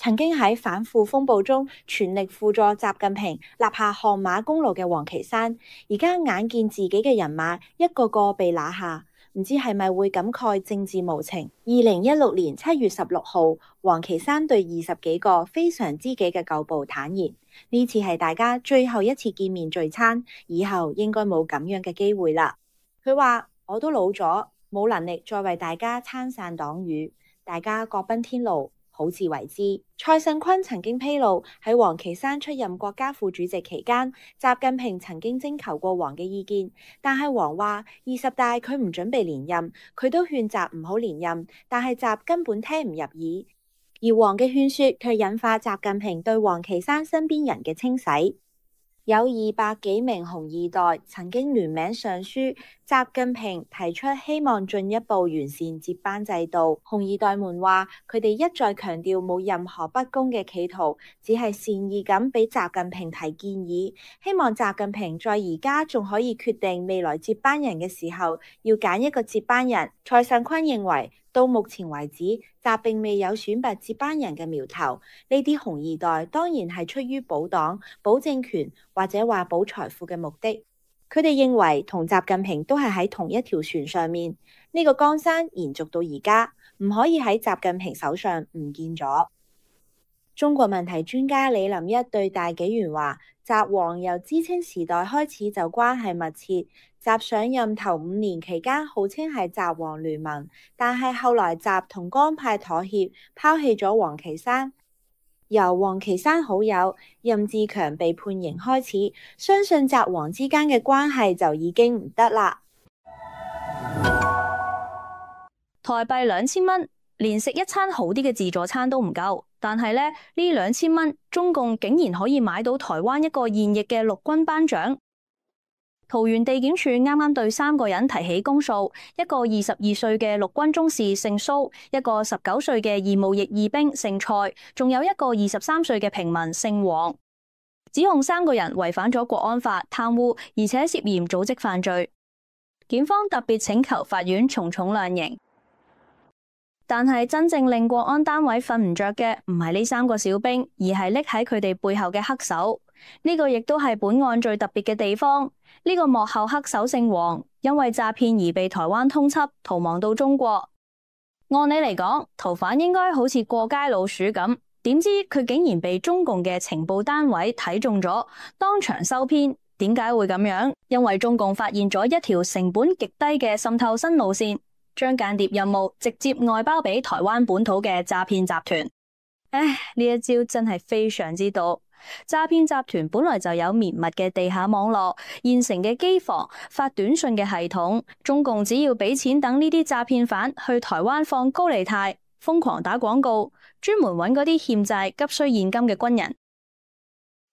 曾經喺反腐風暴中全力輔助習近平立下汗馬功勞嘅王岐山，而家眼見自己嘅人馬一個個被拿下，唔知係咪會感慨政治無情。二零一六年七月十六號，王岐山對二十幾個非常知己嘅舊部坦言，呢次係大家最後一次見面聚餐，以後應該冇咁樣嘅機會啦。佢話：我都老咗，冇能力再為大家撐傘擋雨，大家各奔天路，好自為之。蔡慎坤曾經披露，喺王岐山出任國家副主席期間，習近平曾經徵求過王嘅意見，但係王話二十大佢唔準備連任，佢都勸習唔好連任，但係習根本聽唔入耳，而王嘅勸說卻引發習近平對王岐山身邊人嘅清洗。有二百幾名紅二代曾經聯名上書，習近平提出希望進一步完善接班制度。紅二代們話，佢哋一再強調冇任何不公嘅企圖，只係善意咁俾習近平提建議，希望習近平在而家仲可以決定未來接班人嘅時候，要揀一個接班人。蔡慎坤認為，到目前為止，習並未有選拔接班人嘅苗頭。呢啲紅二代當然係出於保黨、保政權或者話保財富嘅目的。佢哋認為同習近平都係喺同一條船上面，呢個江山延續到而家，唔可以喺習近平手上唔見咗。中國問題專家李林一對大紀元話：習王由知青時代開始就關係密切，習上任頭五年期間號稱係習王聯盟，但係後來習同江派妥協，拋棄咗王岐山。由王岐山好友任志強被判刑開始，相信習王之間嘅關係就已經唔得啦。台幣兩千蚊，連食一餐好啲嘅自助餐都唔夠。但係咧，呢兩千蚊，中共竟然可以買到台灣一個現役嘅陸軍班長。桃園地檢署啱啱對三個人提起公訴，一個二十二歲嘅陸軍中士姓蘇，一個十九歲嘅義務役義兵姓蔡，仲有一個二十三歲嘅平民姓黃，指控三個人違反咗國安法、貪污，而且涉嫌組織犯罪。檢方特別請求法院從重量刑。但係真正令國安單位瞓唔着嘅唔係呢三個小兵，而係匿喺佢哋背後嘅黑手。呢個亦都係本案最特別嘅地方。呢個幕後黑手姓黃，因為詐騙而被台灣通緝，逃亡到中國。按理嚟講，逃犯應該好似過街老鼠咁，點知佢竟然被中共嘅情報單位睇中咗，當場收編。點解會咁樣？因為中共發現咗一條成本極低嘅滲透新路線。將間諜任務直接外包俾台灣本土嘅詐騙集團。唉，呢一招真係非常之毒。詐騙集團本來就有綿密嘅地下網絡、現成嘅機房、發短信嘅系統。中共只要俾錢等呢啲詐騙犯去台灣放高利貸，瘋狂打廣告，專門揾嗰啲欠債急需現金嘅軍人。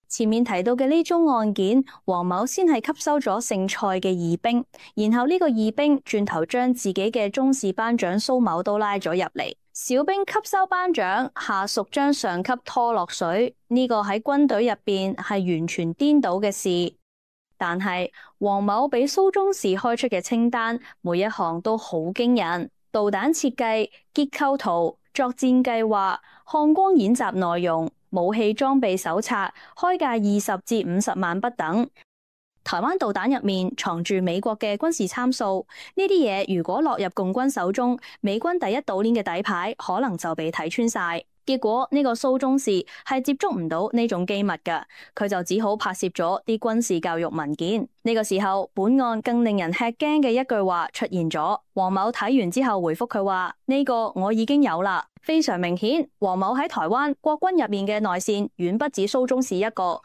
前面提到嘅呢宗案件，黃某先係吸收咗姓蔡嘅義兵，然後呢個義兵轉頭將自己嘅中士班長蘇某都拉咗入嚟。小兵吸收班長，下屬將上級拖落水，呢個喺軍隊入邊係完全顛倒嘅事。但係黃某俾蘇中士開出嘅清單，每一項都好驚人：導彈設計、結構圖、作戰計劃、漢光演習內容、武器裝備手冊，開價二十至五十萬不等。台灣導彈入面藏住美國嘅軍事參數，呢啲嘢如果落入共軍手中，美軍第一島鏈嘅底牌可能就被睇穿晒。結果呢個蘇中士係接觸唔到呢種機密㗎，佢就只好拍攝咗啲軍事教育文件。呢個時候，本案更令人吃驚嘅一句話出現咗。黃某睇完之後回覆佢話：呢個我已經有啦。非常明顯，黃某喺台灣國軍入面嘅內線遠不止蘇中士一個。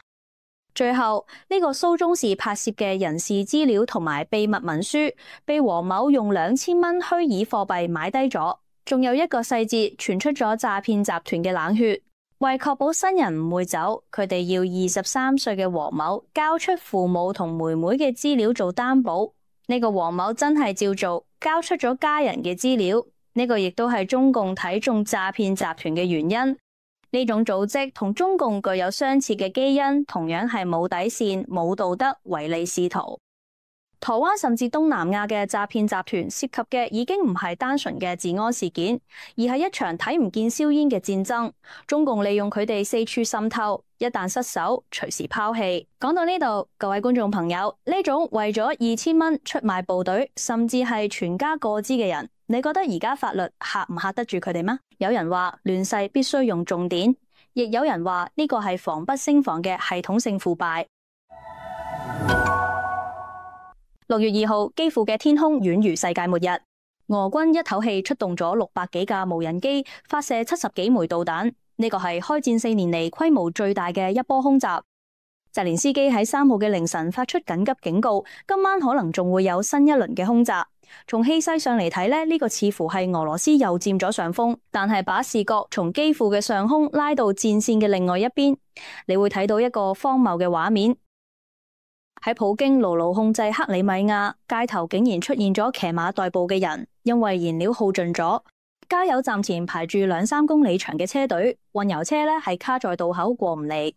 最後呢個蘇中士拍攝嘅人事資料同埋秘密文書，被黃某用兩千蚊虛擬貨幣買低咗。仲有一個細節傳出咗詐騙集團嘅冷血，為確保新人唔會走，佢哋要二十三歲嘅黃某交出父母同妹妹嘅資料做擔保。呢個黃某真係照做，交出咗家人嘅資料。呢個亦都係中共睇中詐騙集團嘅原因。呢種組織同中共具有相似嘅基因，同樣係冇底線、冇道德、唯利是圖。台灣甚至東南亞嘅詐騙集團涉及嘅已經唔係單純嘅治安事件，而係一場睇唔見硝煙嘅戰爭。中共利用佢哋四處滲透，一旦失手，隨時拋棄。講到呢度，各位觀眾朋友，呢種為咗二千蚊出賣部隊，甚至係全家過支嘅人，你覺得而家法律嚇唔嚇得住佢哋嗎？有人話亂世必須用重典，亦有人話呢個係防不勝防嘅系統性腐敗。六月二號，基輔嘅天空宛如世界末日。俄軍一口氣出動咗六百幾架無人機，發射七十幾枚導彈。呢個係開戰四年嚟規模最大嘅一波空襲。澤連斯基喺三號嘅凌晨發出緊急警告，今晚可能仲會有新一輪嘅空襲。從氣勢上嚟睇咧，呢個似乎係俄羅斯又佔咗上風，但係把視角從基輔嘅上空拉到戰線嘅另外一邊，你會睇到一個荒謬嘅畫面。喺普京牢牢控制克里米亞，街頭竟然出現咗騎馬代步嘅人，因為燃料耗盡咗。加油站前排住兩三公里長嘅車隊，運油車咧係卡在渡口過唔嚟。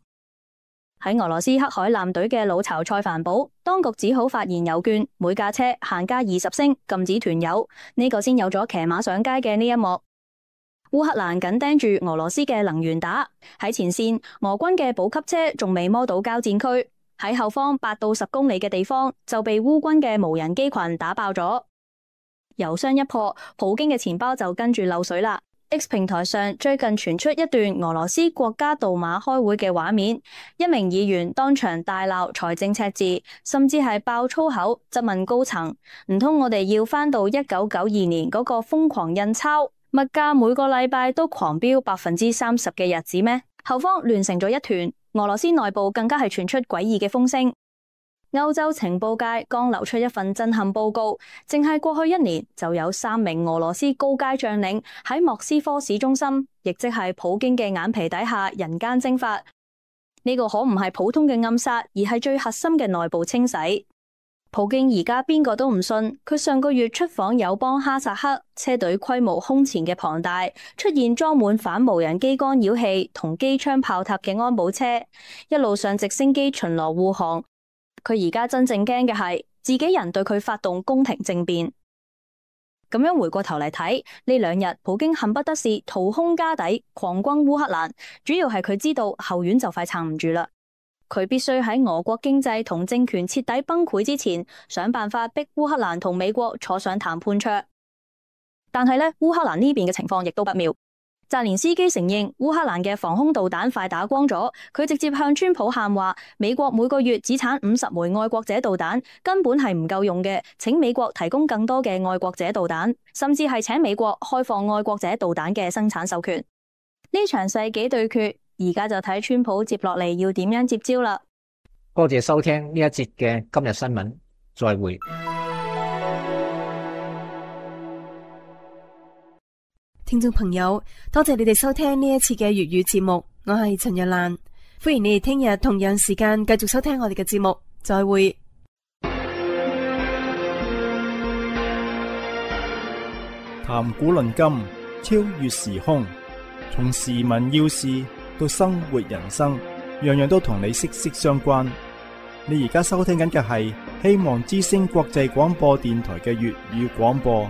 喺俄羅斯黑海艦隊嘅老巢塞凡堡，當局只好發燃油券，每架車限加二十升，禁止團油。呢、這個先有咗騎馬上街嘅呢一幕。烏克蘭緊盯住俄羅斯嘅能源打，喺前線俄軍嘅補給車仲未摸到交戰區。喺後方八到十公里嘅地方就被烏軍嘅無人機群打爆咗，油箱一破，普京嘅錢包就跟住漏水啦。X 平台上最近傳出一段俄羅斯國家杜馬開會嘅畫面，一名議員當場大鬧財政赤字，甚至係爆粗口，質問高層：唔通我哋要返到一九九二年嗰個瘋狂印鈔、物價每個禮拜都狂飆百分之三十嘅日子咩？後方亂成咗一團。俄羅斯內部更加係傳出詭異嘅風聲。歐洲情報界剛流出一份震撼報告，淨係過去一年就有三名俄羅斯高階將領喺莫斯科市中心，亦即係普京嘅眼皮底下人間蒸發。呢個可唔係普通嘅暗殺，而係最核心嘅內部清洗。普京而家邊個都唔信，佢上個月出訪友邦哈薩克，車隊規模空前嘅龐大，出現裝滿反無人機干擾器同機槍炮塔嘅安保車，一路上直升機巡邏護航。佢而家真正驚嘅係自己人對佢發動宮廷政變。咁樣回過頭嚟睇，呢兩日普京恨不得是掏空家底，狂轟烏克蘭，主要係佢知道後院就快撐唔住啦。佢必須喺俄國經濟同政權徹底崩潰之前，想辦法逼烏克蘭同美國坐上談判桌。但係咧，烏克蘭呢邊嘅情況亦都不妙。澤連斯基承認烏克蘭嘅防空導彈快打光咗，佢直接向川普喊話：美國每個月只產五十枚愛國者導彈，根本係唔夠用嘅，請美國提供更多嘅愛國者導彈，甚至係請美國開放愛國者導彈嘅生產授權。呢場世紀對決，而家就睇川普接落嚟要點樣接招啦。多謝收聽呢一節嘅今日新聞，再會。聽眾朋友，多謝你哋收聽呢一次嘅粵語節目，我係陳若蘭，歡迎你哋聽日同樣時間繼續收聽我哋嘅節目，再會。談古論今，超越時空，從時聞要事到生活人生，樣樣都同你息息相關。你而家收聽緊嘅係希望之聲國際廣播電台嘅粵語廣播。